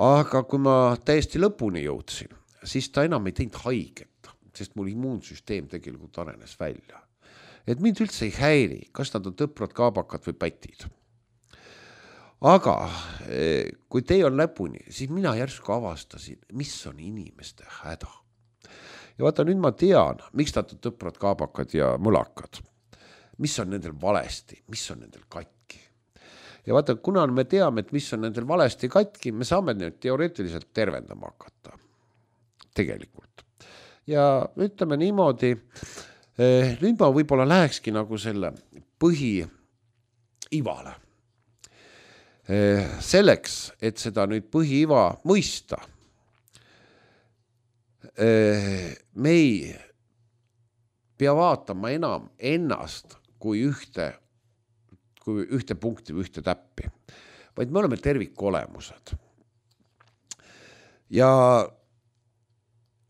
Aga kui ma täiesti lõpuni jõudsin, siis ta enam ei teinud haiget, sest mul immuunsüsteem tegelikult arenes välja. Et mind üldse ei häiri, kas nad on tõprad, kaabakad või pätid. Aga kui tee on lõpuni, siis mina järsku avastasin, mis on inimeste häda. Ja vaata, nüüd ma tean, miks nad on tõprad, kaabakad ja mõlakad. Mis on nendel valesti, mis on nendel katki. Ja vaata, kuna me teame, et mis on nendel valesti katki, me saame need teoreetiliselt tervendama hakata. Tegelikult. Ja ütleme niimoodi, nüüd ma võib-olla lähekski nagu selle põhiivale. Selleks, et seda nüüd põhiiva mõista, me ei pea vaatama enam ennast kui ühte punkti või ühte täppi, vaid me oleme tervikolemused. Ja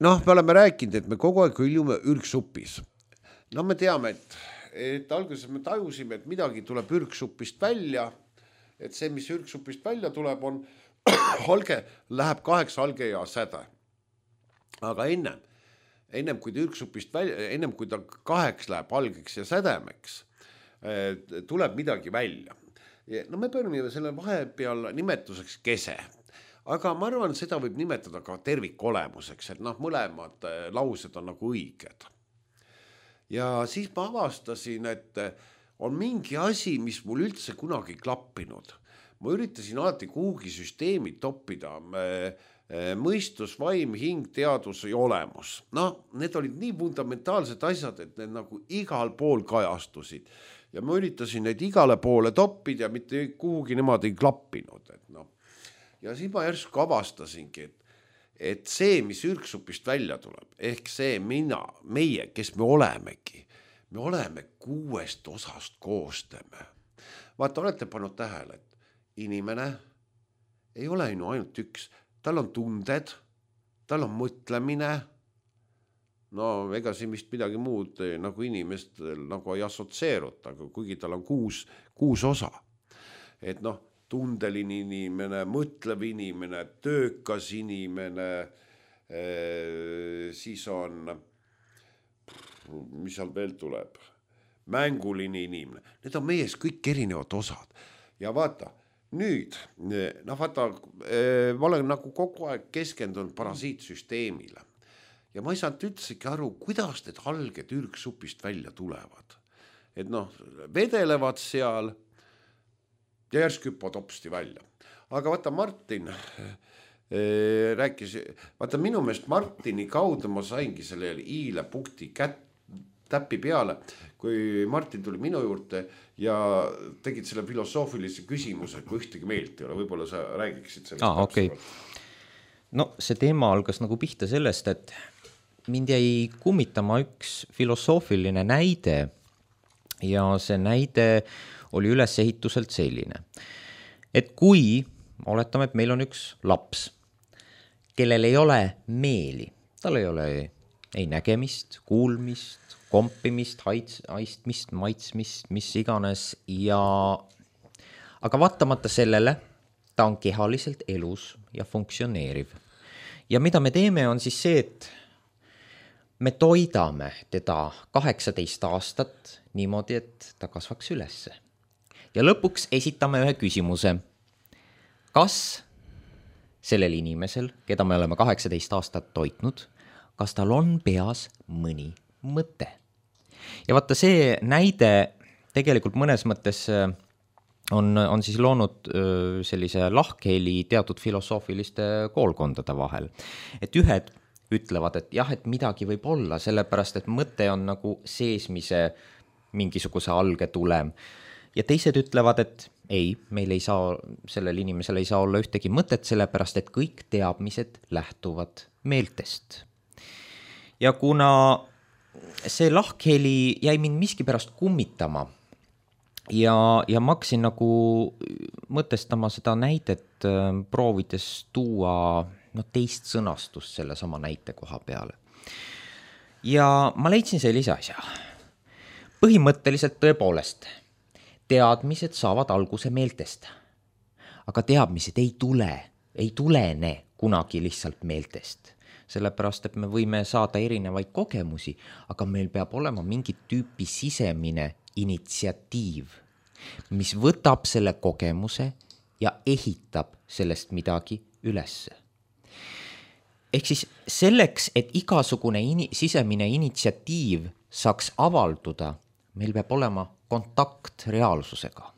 me oleme rääkinud, et me kogu aeg hüljume ürgsupis. Me teame, et et alguses me tajusime, et midagi tuleb ürgsupist välja, et see, mis ürgsupist välja tuleb, on alge, läheb 8 alge ja säde. Aga ennem kui ta ürgsupist välja, ennem kui ta 8 läheb algeks ja sädemeks, tuleb midagi välja. No me pöörame selle vahepeal nimetuseks kese, aga ma arvan, seda võib nimetada ka tervikolemuseks, et mõlemad laused on nagu õiged. Ja siis ma avastasin, et on mingi asi, mis mul üldse kunagi klappinud. Ma üritasin alati kuhugi süsteemi toppida, mõistus, vaim, hing, teadus ja olemus. Need olid nii fundamentaalsed asjad, et need nagu igal pool kajastusid. Ja ma üritasin neid igale poole toppida ja mitte kuhugi nemad ei klappinud. Ja siis ma järsku avastasingi, et see, mis ürgsupist välja tuleb, ehk see meie, kes me olemegi, me oleme 6 osast koostame. Vaata, olete pannud tähele, et inimene ei ole ainult üks, tal on tunded, tal on mõtlemine, ega siin vist midagi muud nagu inimestel nagu ei assotsieeruta, kuigi tal on 6 osa. Et tundeline inimene, mõtlev inimene, töökas inimene, siis on, mis seal veel tuleb, mänguline inimene. Need on meies kõik erinevad osad. Ja vaata, nüüd, ma olen nagu kogu aeg keskendunud parasiitsüsteemile. Ja ma ei saanud üldsegi aru, kuidas need alged ürgsupist välja tulevad. Et vedelevad seal ja järsk hüppavad hopsti välja. Aga vaata, Martin rääkis, vaata minu meelest Martini kaudu ma saingi selle iile punkti täppi peale, kui Martin tuli minu juurde ja tegid selle filosoofilise küsimuse, kui ühtegi meelt ei ole, võib-olla sa räägiksid sellest. Okay. No see teema algas nagu pihta sellest, et mind jäi kummitama üks filosoofiline näide ja see näide oli ülesehituselt selline, et kui oletame, et meil on üks laps, kellel ei ole meeli, tal ei ole ei nägemist, kuulmist, kompimist, haistmist, maitsmist, mis iganes aga vaatamata sellele, ta on kehaliselt elus ja funktsioneeriv. Ja mida me teeme on siis see, et me toidame teda 18 aastat niimoodi, et ta kasvaks ülesse. Ja lõpuks esitame ühe küsimuse. Kas sellel inimesel, keda me oleme 18 aastat toitnud, kas tal on peas mõni mõte? Ja vaata, see näide tegelikult mõnes mõttes on siis loonud sellise lahkheli teatud filosoofiliste koolkondade vahel. Et ühed ütlevad, et jah, et midagi võib olla, sellepärast, et mõte on nagu seesmise mingisuguse alge tulem. Ja teised ütlevad, et ei, meil ei saa, sellel inimesel ei saa olla ühtegi mõtet, sellepärast, et kõik teadmised lähtuvad meeltest. Ja kuna see lahkheli jäi mind miskipärast kummitama ja ma hakkasin nagu mõtestama seda näidet, proovides tuua teist sõnastust selle sama näite koha peale. Ja ma leidsin sellise asja. Põhimõtteliselt tõepoolest, teadmised saavad alguse meeltest, aga teadmised ei tulene kunagi lihtsalt meeltest. Sellepärast, et me võime saada erinevaid kogemusi, aga meil peab olema mingi tüüpi sisemine initsiatiiv, mis võtab selle kogemuse ja ehitab sellest midagi ülesse. Ehk siis selleks, et igasugune sisemine initsiatiiv saaks avalduda, meil peab olema kontakt reaalsusega.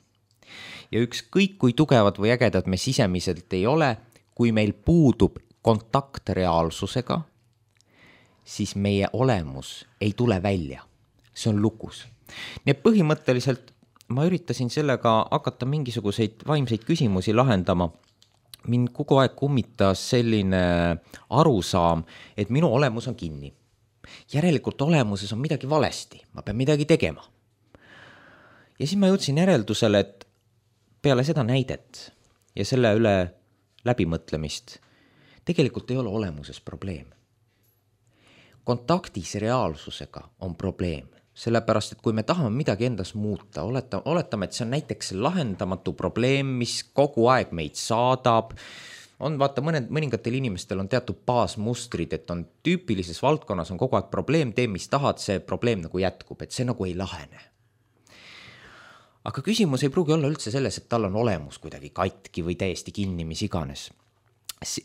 Ja ükskõik kui tugevad või ägedad me sisemiselt ei ole, kui meil puudub kontakt reaalsusega, siis meie olemus ei tule välja. See on lukus. Nii põhimõtteliselt ma üritasin sellega hakata mingisuguseid vaimseid küsimusi lahendama. Mind kogu aeg kummitas selline arusaam, et minu olemus on kinni. Järelikult olemuses on midagi valesti, ma pean midagi tegema. Ja siis ma jõudsin järeldusele, et peale seda näidet ja selle üle läbimõtlemist tegelikult ei ole olemuses probleem. Kontaktis reaalsusega on probleem, sellepärast, et kui me tahame midagi endas muuta, oletame, et see on näiteks lahendamatu probleem, mis kogu aeg meid saadab, on vaata mõningatel inimestel on teatud baasmustrid, et on tüüpilises valdkonnas on kogu aeg probleem, tee mis tahad, see probleem nagu jätkub, et see nagu ei lahene. Aga küsimus ei pruugi olla üldse selles, et tal on olemus kuidagi katki või täiesti kinni, mis iganes.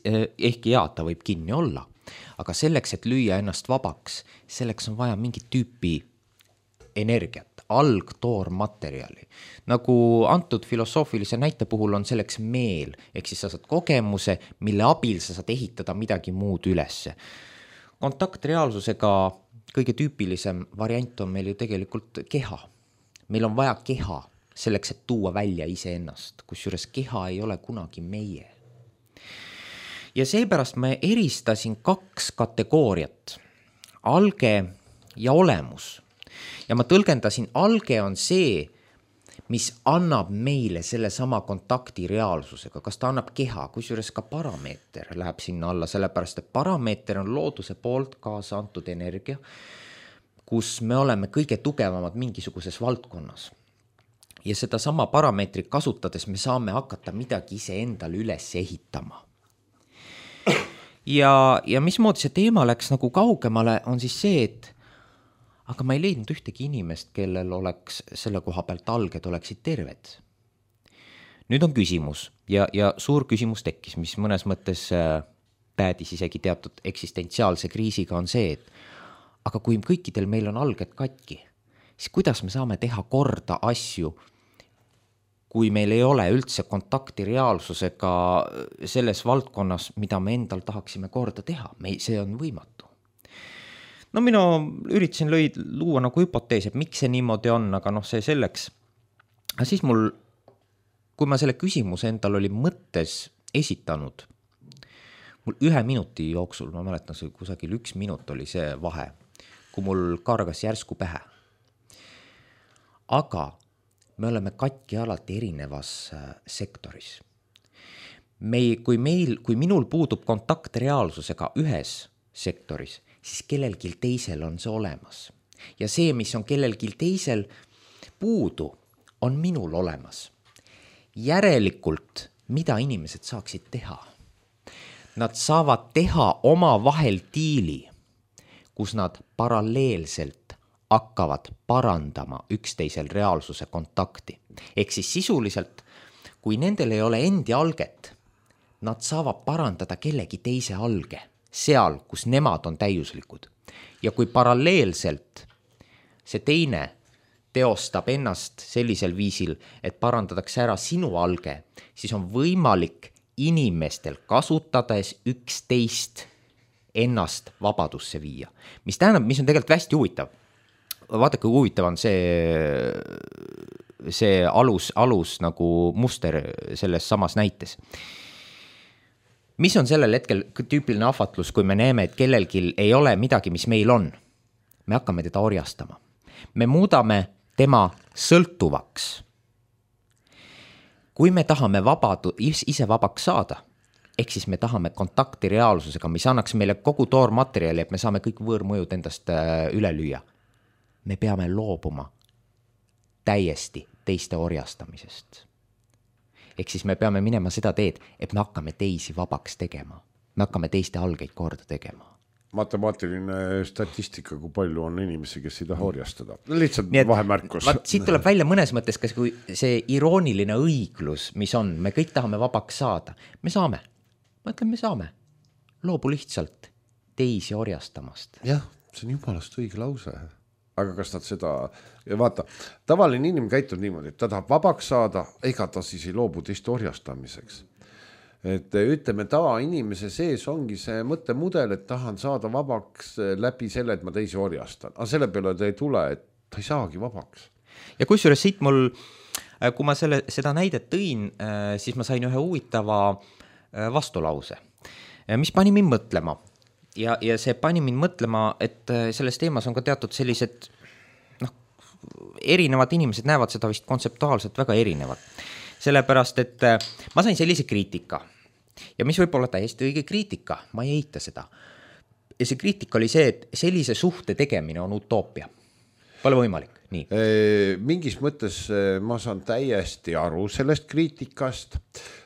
Ehkki ta võib kinni olla, aga selleks, et lüüa ennast vabaks, selleks on vaja mingit tüüpi energiat, algtoormaterjali. Nagu antud filosoofilise näite puhul on selleks meel, ehk siis sa saad kogemuse, mille abil sa saad ehitada midagi muud ülesse. Kontaktreaalsusega kõige tüüpilisem variant on meil ju tegelikult keha. Meil on vaja keha selleks, et tuua välja iseennast, kusjuures keha ei ole kunagi meie. Ja seepärast ma eristasin 2 kategooriat, alge ja olemus. Ja ma tõlgendasin, alge on see, mis annab meile selle sama kontakti reaalsusega, kas ta annab keha, kusjuures ka parameeter läheb sinna alla, sellepärast et parameeter on looduse poolt kaasa antud energia, kus me oleme kõige tugevamad mingisuguses valdkonnas. Ja seda sama parameetrit kasutades me saame hakata midagi iseendale üles ehitama. Ja mismoodi see teema läks nagu kaugemale, on siis see, et aga ma ei leidnud ühtegi inimest, kellel oleks selle koha pealt alged oleksid terved. Nüüd on küsimus ja suur küsimus tekkis, mis mõnes mõttes päädis isegi teatud eksistentsiaalse kriisiga, on see, et aga kui kõikidel meil on alged katki, siis kuidas me saame teha korda asju, kui meil ei ole üldse kontakti reaalsusega selles valdkonnas, mida me endal tahaksime korda teha. See on võimatu. No mina üritasin luua nagu hüpoteesi, et miks see niimoodi on, aga see selleks. Aga siis kui ma selle küsimuse endal oli mõttes esitanud, mul 1 minuti jooksul, ma mäletan, see kusagil 1 minut oli see vahe, kui mul kargas järsku pähe. Aga me oleme katki alati erinevas sektoris. Kui minul puudub kontakt reaalsusega ühes sektoris, siis kellelgi teisel on see olemas. Ja see, mis on kellelgi teisel puudu, on minul olemas. Järelikult, mida inimesed saaksid teha? Nad saavad teha oma vahel diili, kus nad paralleelselt hakkavad parandama üksteisel reaalsuse kontakti. Ehk siis sisuliselt, kui nendel ei ole endi alget, nad saavad parandada kellegi teise alge, seal, kus nemad on täiuslikud. Ja kui paralleelselt see teine teostab ennast sellisel viisil, et parandatakse ära sinu alge, siis on võimalik inimestel kasutades üksteist ennast vabadusse viia. Mis tähendab, mis on tegelikult hästi huvitav. Vaadake, kui huvitav on see alus nagu muster selles samas näites. Mis on sellel hetkel tüüpiline ahvatlus, kui me näeme, et kellelgi ei ole midagi, mis meil on? Me hakkame teda orjastama. Me muudame tema sõltuvaks. Kui me tahame ise vabaks saada, ehk siis me tahame kontakti reaalsusega, mis annaks meile kogu toormaterjali, et me saame kõik võõrmõjud endast üle lüüa. Me peame loobuma täiesti teiste orjastamisest. Ehk siis me peame minema seda teed, et me hakkame teisi vabaks tegema. Me hakkame teiste algeid korda tegema. Matemaatiline statistika, kui palju on inimesi, kes ei taha orjastada. Lihtsalt vahemärkus. Siit tuleb välja mõnes mõttes, kas kui see irooniline õiglus, mis on, me kõik tahame vabaks saada. Me saame. Ma ütlen, me saame. Loobu lihtsalt teisi orjastamast. Jah, see on jumalast õige lause. Aga kas nad seda, vaata, tavaline inimene käitub niimoodi, et ta tahab vabaks saada, ega ta siis ei loobu teiste orjastamiseks. Et ütleme, tavainimese sees ongi see mõttemudel, et tahan saada vabaks läbi selle, et ma teisi orjastan. Aga selle peale ta ei tule, et ta ei saagi vabaks. Ja kusjuures siit mul, kui ma seda näidet tõin, siis ma sain ühe huvitava vastulause, mis pani mind mõtlema. Ja see pani mind mõtlema, et selles teemas on ka teatud sellised, erinevad inimesed näevad seda vist kontseptuaalselt väga erinevad. Sellepärast, et ma sain sellise kriitika ja mis võib olla täiesti õige kriitika, ma ei eita seda. Ja see kriitika oli see, et sellise suhte tegemine on utoopia. Pole võimalik, nii. Mingis mõttes ma saan täiesti aru sellest kriitikast,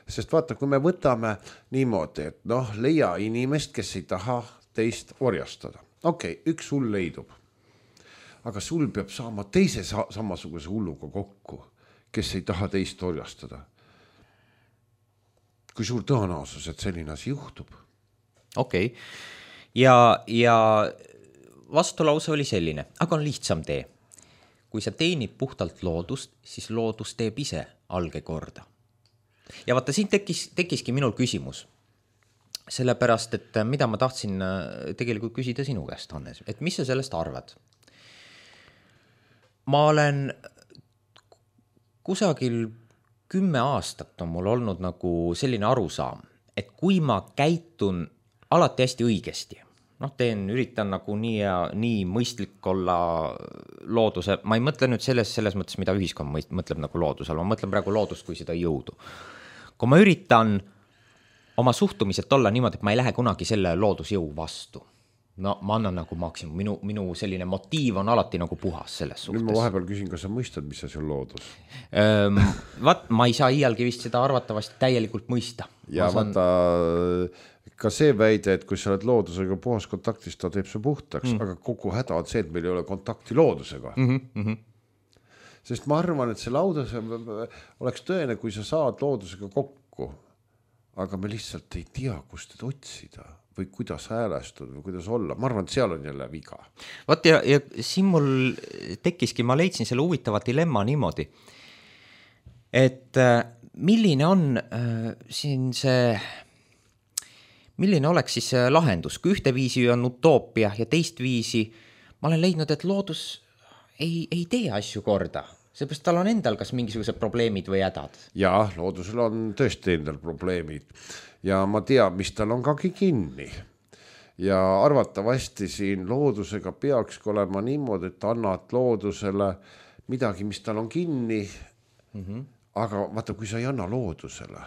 sest vaata, kui me võtame niimoodi, et noh, leia inimest, kes ei taha teist orjastada. Okei, üks hull leidub, aga sul peab saama teise samasuguse hulluga kokku, kes ei taha teist orjastada. Kui suur tõenäosus, et selline asi juhtub? Okei. Ja vastulause oli selline, aga on lihtsam tee. Kui sa teenid puhtalt loodust, siis loodus teeb ise alge korda. Ja vaata, siin tekkiski minul küsimus. Sellepärast, et mida ma tahtsin tegelikult küsida sinu käest, Hannes, et mis sa sellest arvad? Ma olen kusagil 10 aastat on mul olnud nagu selline arusaam, et kui ma käitun alati hästi õigesti, üritan nagu nii mõistlik olla looduse, ma ei mõtle nüüd selles mõttes, mida ühiskond mõtleb nagu loodusel, ma mõtlen praegu loodust kui seda jõudu. Kui ma üritan oma suhtumiselt olla niimoodi, et ma ei lähe kunagi selle loodusjõu vastu, ma annan nagu maksimum, minu selline motiiv on alati nagu puhas selles suhtes. Nüüd ma vahepeal küsin, kas sa mõistad, mis see on loodus? Ma ei saa iialgi vist seda arvatavasti täielikult mõista. Ja vaata, ka see väide, et kui sa oled loodusega puhas kontaktis, ta teeb see puhtaks, aga kogu häda on see, et meil ei ole kontakti loodusega. Sest ma arvan, et see laudus oleks tõene, kui sa saad loodusega kokku, aga me lihtsalt ei tea, kust teda otsida või kuidas häälestud või kuidas olla. Ma arvan, et seal on jälle viga. Vaat ja siin mul tekkiski, ma leidsin selle huvitava dilemma niimoodi, et milline on siin milline oleks siis lahendus, kui ühte viisi on utoopia ja teist viisi ma olen leidnud, et loodus ei tee asju korda. Seepärast tal on endal kas mingisugused probleemid või hädad? Jaa, loodusel on tõesti endal probleemid ja ma tean, mis tal on kagi kinni. Ja arvatavasti siin loodusega peakski olema niimoodi, et annad loodusele midagi, mis tal on kinni, aga vaata, kui sa ei anna loodusele,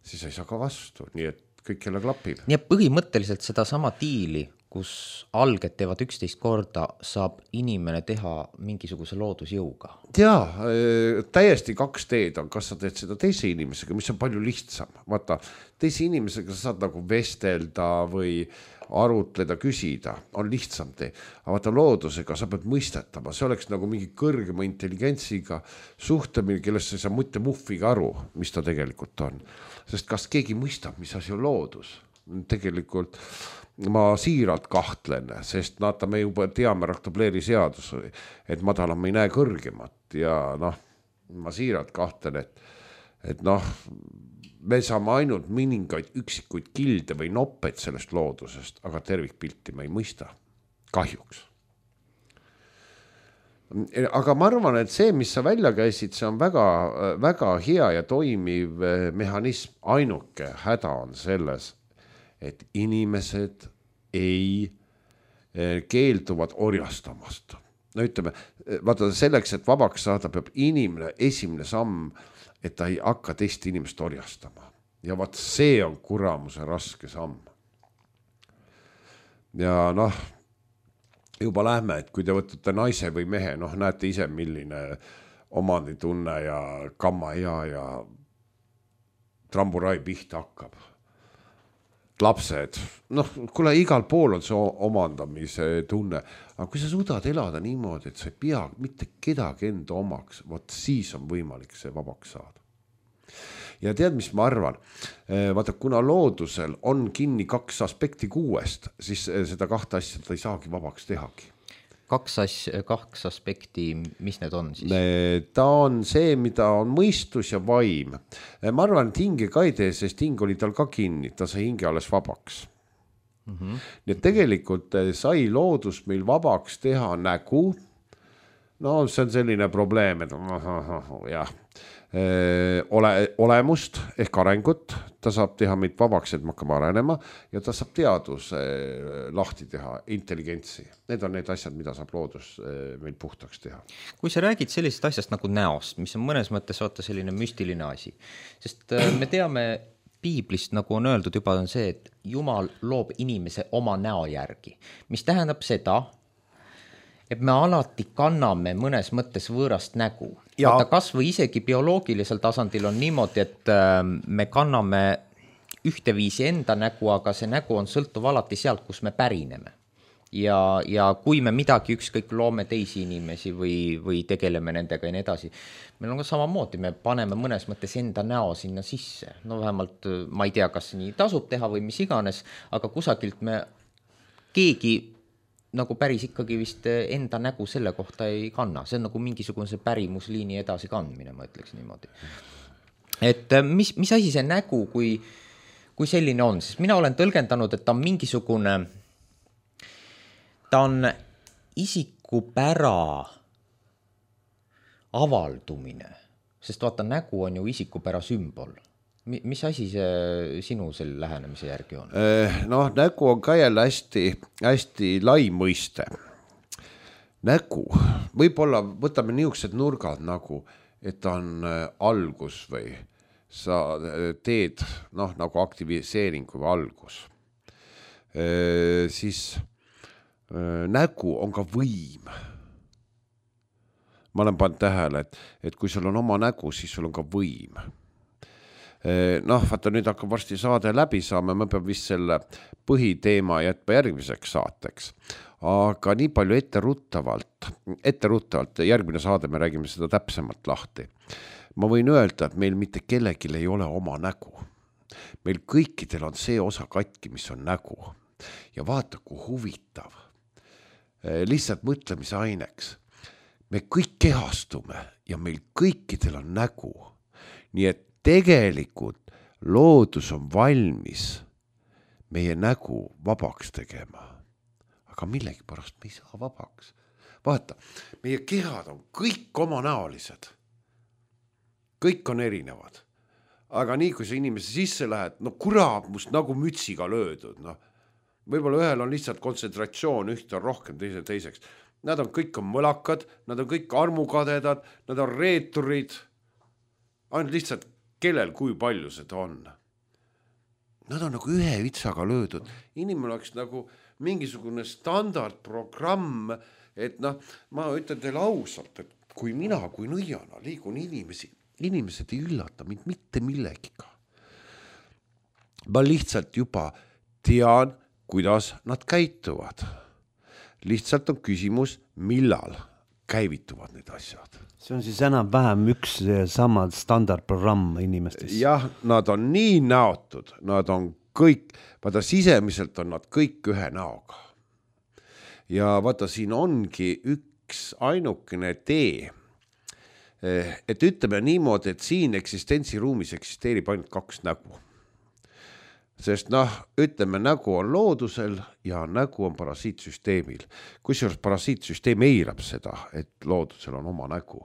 siis ei saa ka vastu, nii et kõik jälle klapib. Nii et põhimõtteliselt seda sama diili, kus alged teevad 11 korda, saab inimene teha mingisuguse loodusjõuga. Jaa, täiesti 2 teed on, kas sa teed seda teise inimesega, mis on palju lihtsam. Vaata, teise inimesega sa saad nagu vestelda või arutleda, küsida, on lihtsam tee. Aga vaata, loodusega sa pead mõistetama, see oleks nagu mingi kõrgema intelligentsiga suhtemine, kellest sa ei saa mitte muffiga aru, mis ta tegelikult on. Sest kas keegi mõistab, mis asi on loodus? Tegelikult ma siiralt kahtlen, sest me juba teame Raktobleri seadus, et madalam ei näe kõrgemat ja ma siiralt kahtlen, et me saame ainult mõningaid üksikuid kilde või noppeid sellest loodusest, aga tervikpilti me ei mõista. Kahjuks. Aga ma arvan, et see, mis sa välja käisid, see on väga, väga hea ja toimiv mehhanism. Ainuke häda on selles, et inimesed ei keelduvad orjastamast. Ütleme, vaata selleks, et vabaks saada, peab inimene esimene samm, et ta ei hakka teist inimest orjastama. Ja vaat see on kuramuse raske samm. Ja juba lähme, et kui te võtate naise või mehe, näete ise, milline omanditunne ja kamma ja tramburai pihta hakkab. Lapsed, kuule igal pool on see omandamise tunne, aga kui sa suudad elada niimoodi, et sa ei pea mitte kedagi enda omaks, vot siis on võimalik see vabaks saada. Ja tead, mis ma arvan? Vaata, kuna loodusel on kinni 2 aspekti 6, siis seda 2 asja ta ei saagi vabaks tehagi. 2 aspekti, mis need on siis? Ta on see, mida on mõistus ja vaim. Ma arvan, et hinge ka ei tee, sest hing oli tal ka kinni, ta sai hinge alles vabaks. Nii et tegelikult sai loodus meil vabaks teha nägu. See on selline probleem, et jah. Olemust ehk arengut, ta saab teha meid vabaks, et me hakkame arenema ja ta saab teaduse lahti teha, intelligentsi. Need on need asjad, mida saab loodus meil puhtaks teha. Kui sa räägid sellisest asjast nagu näost, mis on mõnes mõttes selline müstiline asi, sest me teame piiblist, nagu on öeldud juba, on see, et Jumal loob inimese oma näo järgi, mis tähendab seda, et me alati kanname mõnes mõttes võõrast nägu. Ja- Vaata, kas või isegi bioloogilisel tasandil on niimoodi, et me kanname ühteviisi enda nägu, aga see nägu on sõltuv alati sealt, kus me pärineme. Ja kui me midagi ükskõik loome teisi inimesi või tegeleme nendega ja nii edasi, meil on ka samamoodi, me paneme mõnes mõttes enda näo sinna sisse. No vähemalt ma ei tea, kas nii tasub teha või mis iganes, aga kusagilt me keegi nagu päris ikkagi vist enda nägu selle kohta ei kanna. See on nagu mingisugune see pärimusliini edasi kandmine, ma ütleks niimoodi. Et mis asi see nägu, kui selline on, sest mina olen tõlgendanud, et ta on mingisugune, ta on isikupära avaldumine, sest vaata, nägu on ju isikupära sümbol. Mis asi see sinu selle lähenemise järgi on? Noh, nägu on ka jälle hästi lai mõiste. Nägu, võib-olla võtame niisugused nurgad nagu, et on algus või sa teed nagu aktiviseeringu või algus. Siis nägu on ka võim. Ma olen pannud tähele, et kui sul on oma nägu, siis sul on ka võim. Vaata, nüüd hakkab varsti saade läbi saama, ma pean vist selle põhiteema jätma järgmiseks saateks. Aga nii palju etteruttavalt, järgmine saade me räägime seda täpsemalt lahti. Ma võin öelda, et meil mitte kellegil ei ole oma nägu. Meil kõikidel on see osa katki, mis on nägu. Ja vaata, kui huvitav. Lihtsalt mõtlemise aineks. Me kõik kehastume ja meil kõikidel on nägu. Nii et tegelikult loodus on valmis meie nägu vabaks tegema. Aga millegipärast me ei saa vabaks. Vaata, meie kehad on kõik omanäolised. Kõik on erinevad. Aga nii, kui sa inimese sisse lähed, kurat, must nagu mütsiga löödud. Võib-olla ühel on lihtsalt kontsentratsioon, ühte on rohkem, teiseks. Nad on kõik on mõlakad, nad on kõik armukadedad, nad on reeturid. Ainult lihtsalt kellel kui palju seda on. Nad on nagu ühe vitsaga löödud. Inimene oleks nagu mingisugune standardprogramm, et ma ütlen teile ausalt, et kui mina kui nõiana liigun inimesed ei üllata mind mitte millegiga. Ma lihtsalt juba tean, kuidas nad käituvad. Lihtsalt on küsimus, millal käivituvad need asjad. See on siis enam-vähem üks sama standardprogramm inimestes. Jah, nad on nii näotud, nad on kõik, vaata sisemiselt on nad kõik ühe näoga. Ja vaata, siin ongi üks ainukene tee, et ütleme niimoodi, et siin eksistentsiruumis eksisteerib ainult kaks nägu. Sest ütleme, nägu on loodusel ja nägu on parasiitsüsteemil. Kusjuures parasiitsüsteem eirab seda, et loodusel on oma nägu.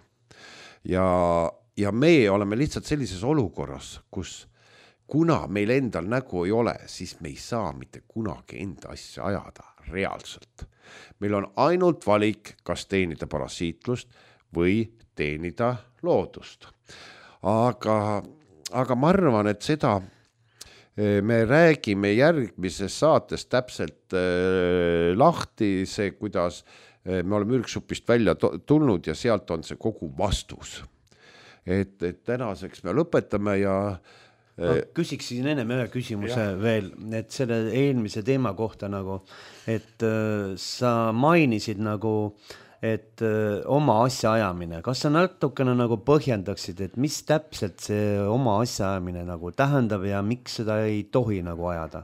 Ja me oleme lihtsalt sellises olukorras, kus kuna meil endal nägu ei ole, siis me ei saa mitte kunagi enda asja ajada reaalselt. Meil on ainult valik, kas teenida parasiitlust või teenida loodust. Aga ma arvan, et seda me räägime järgmises saates täpselt lahti see, kuidas me oleme ürgsupist välja tulnud ja sealt on see kogu vastus. Et tänaseks me lõpetame ja küsiksin ennem ühe küsimuse veel, et selle eelmise teema kohta nagu, et sa mainisid nagu, et oma asja ajamine. Kas sa natukene nagu põhjendaksid, et mis täpselt see oma asja ajamine nagu tähendab ja miks seda ei tohi nagu ajada?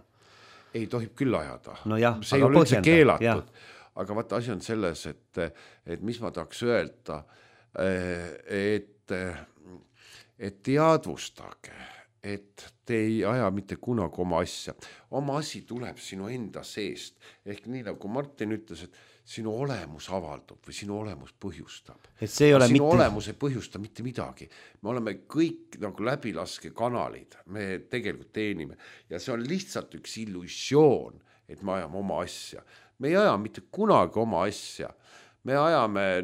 Ei tohib küll ajada. No jah, see ei ole üldse keelatud. Aga vaata, asi on selles, et mis ma tahaks öelda, et teadvustage, et te ei aja mitte kunagi oma asja. Oma asi tuleb sinu enda seest. Ehk nii nagu Martin ütles, et sinu olemus avaldub või sinu olemus põhjustab. Et see ei ole sinu olemus ei põhjusta mitte midagi. Me oleme kõik nagu läbilaske kanalid. Me tegelikult teenime. Ja see on lihtsalt üks illusioon, et me ajame oma asja. Me ei aja mitte kunagi oma asja. Me ajame,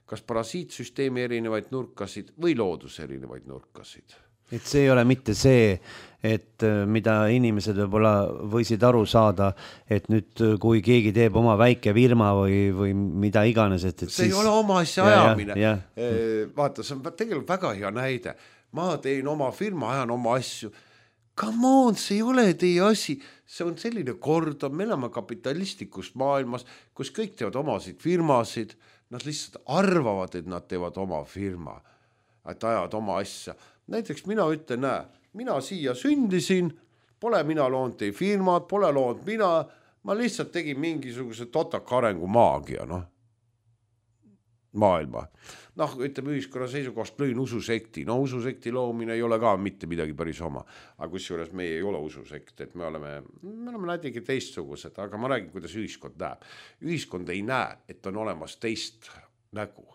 kas parasiitsüsteemi erinevaid nurkasid või looduse erinevaid nurkasid. et see ei ole mitte see, et mida inimesed võib-olla võisid aru saada, et nüüd kui keegi teeb oma väike firma või mida iganes, et see ei ole oma asja ajamine. Vaata, see on tegelikult väga hea näide. Ma teen oma firma, ajan oma asju. Come on, see ei ole teie asi. See on selline kord, me elame kapitalistlikus maailmas, kus kõik teevad omasid firmasid. Nad lihtsalt arvavad, et nad teevad oma firma, et ajavad oma asja. Näiteks mina ütlen, mina siia sündisin, pole mina loonud teie firmad, pole loonud ma lihtsalt tegin mingisuguse totaka arengu maagia, maailma. Ütleme ühiskonna seisukohast lõin ususekti. Ususekti loomine ei ole ka mitte midagi päris oma. Aga kusjuures meie ei ole ususekt, et me oleme näitegi teistsugused, aga ma räägin, kuidas ühiskond näeb. Ühiskond ei näe, et on olemas teist nägu.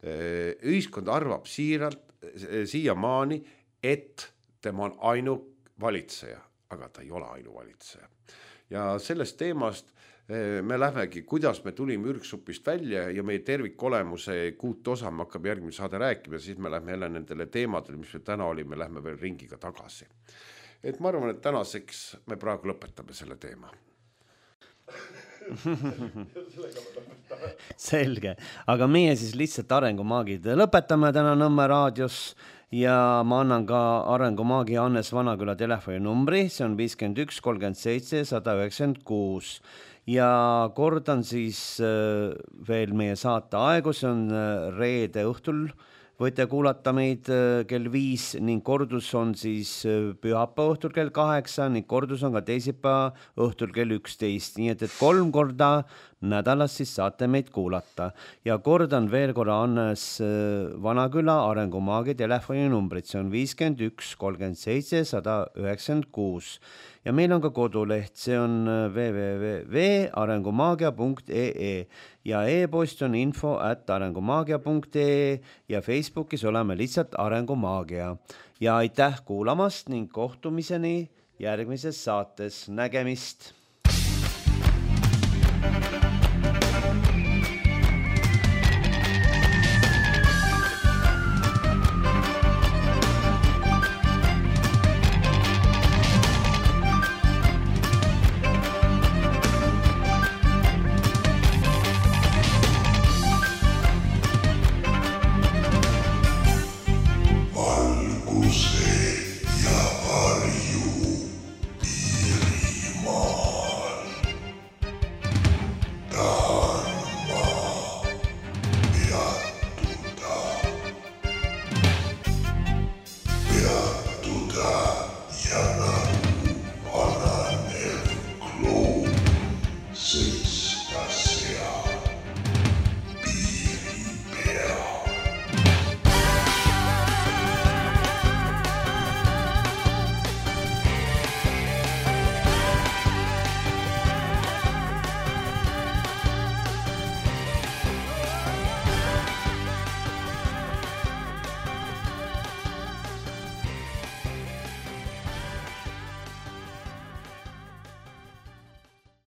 Ühiskond arvab siiamaani, et tema on ainuvalitseja, aga ta ei ole ainuvalitseja. Ja sellest teemast me lähmegi, kuidas me tulime ürgsupist välja ja meie tervikolemuse 6 osa me hakkab järgmine saade rääkima, siis me lähme jälle nendele teemadele, mis me täna olime, lähme veel ringiga tagasi. Et ma arvan, et tänaseks me praegu lõpetame selle teema. Selge, aga meie siis lihtsalt arengumaagid lõpetame täna Nõmme raadios ja ma annan ka arengumaagi Hannes Vanaküla telefoninumbri, see on 51 37 196 ja kordan siis veel meie saate aegu, see on reede õhtul, võite kuulata meid kell 5 ning kordus on siis pühapäeva õhtul kell 8 ning kordus on ka teisipäeva õhtul kell 11, nii et 3 korda nädalas siis saate meid kuulata. Ja kordan veel korra Hannes Vanaküla arengumaagi telefoninumbrit, see on 51 37 196 ja meil on ka koduleht, see on www.arengumaagia.ee ja e-post on info@arengumaagia.ee ja Facebookis oleme lihtsalt Arengumaagia. Ja aitäh kuulamast ning kohtumiseni järgmises saates. Nägemist!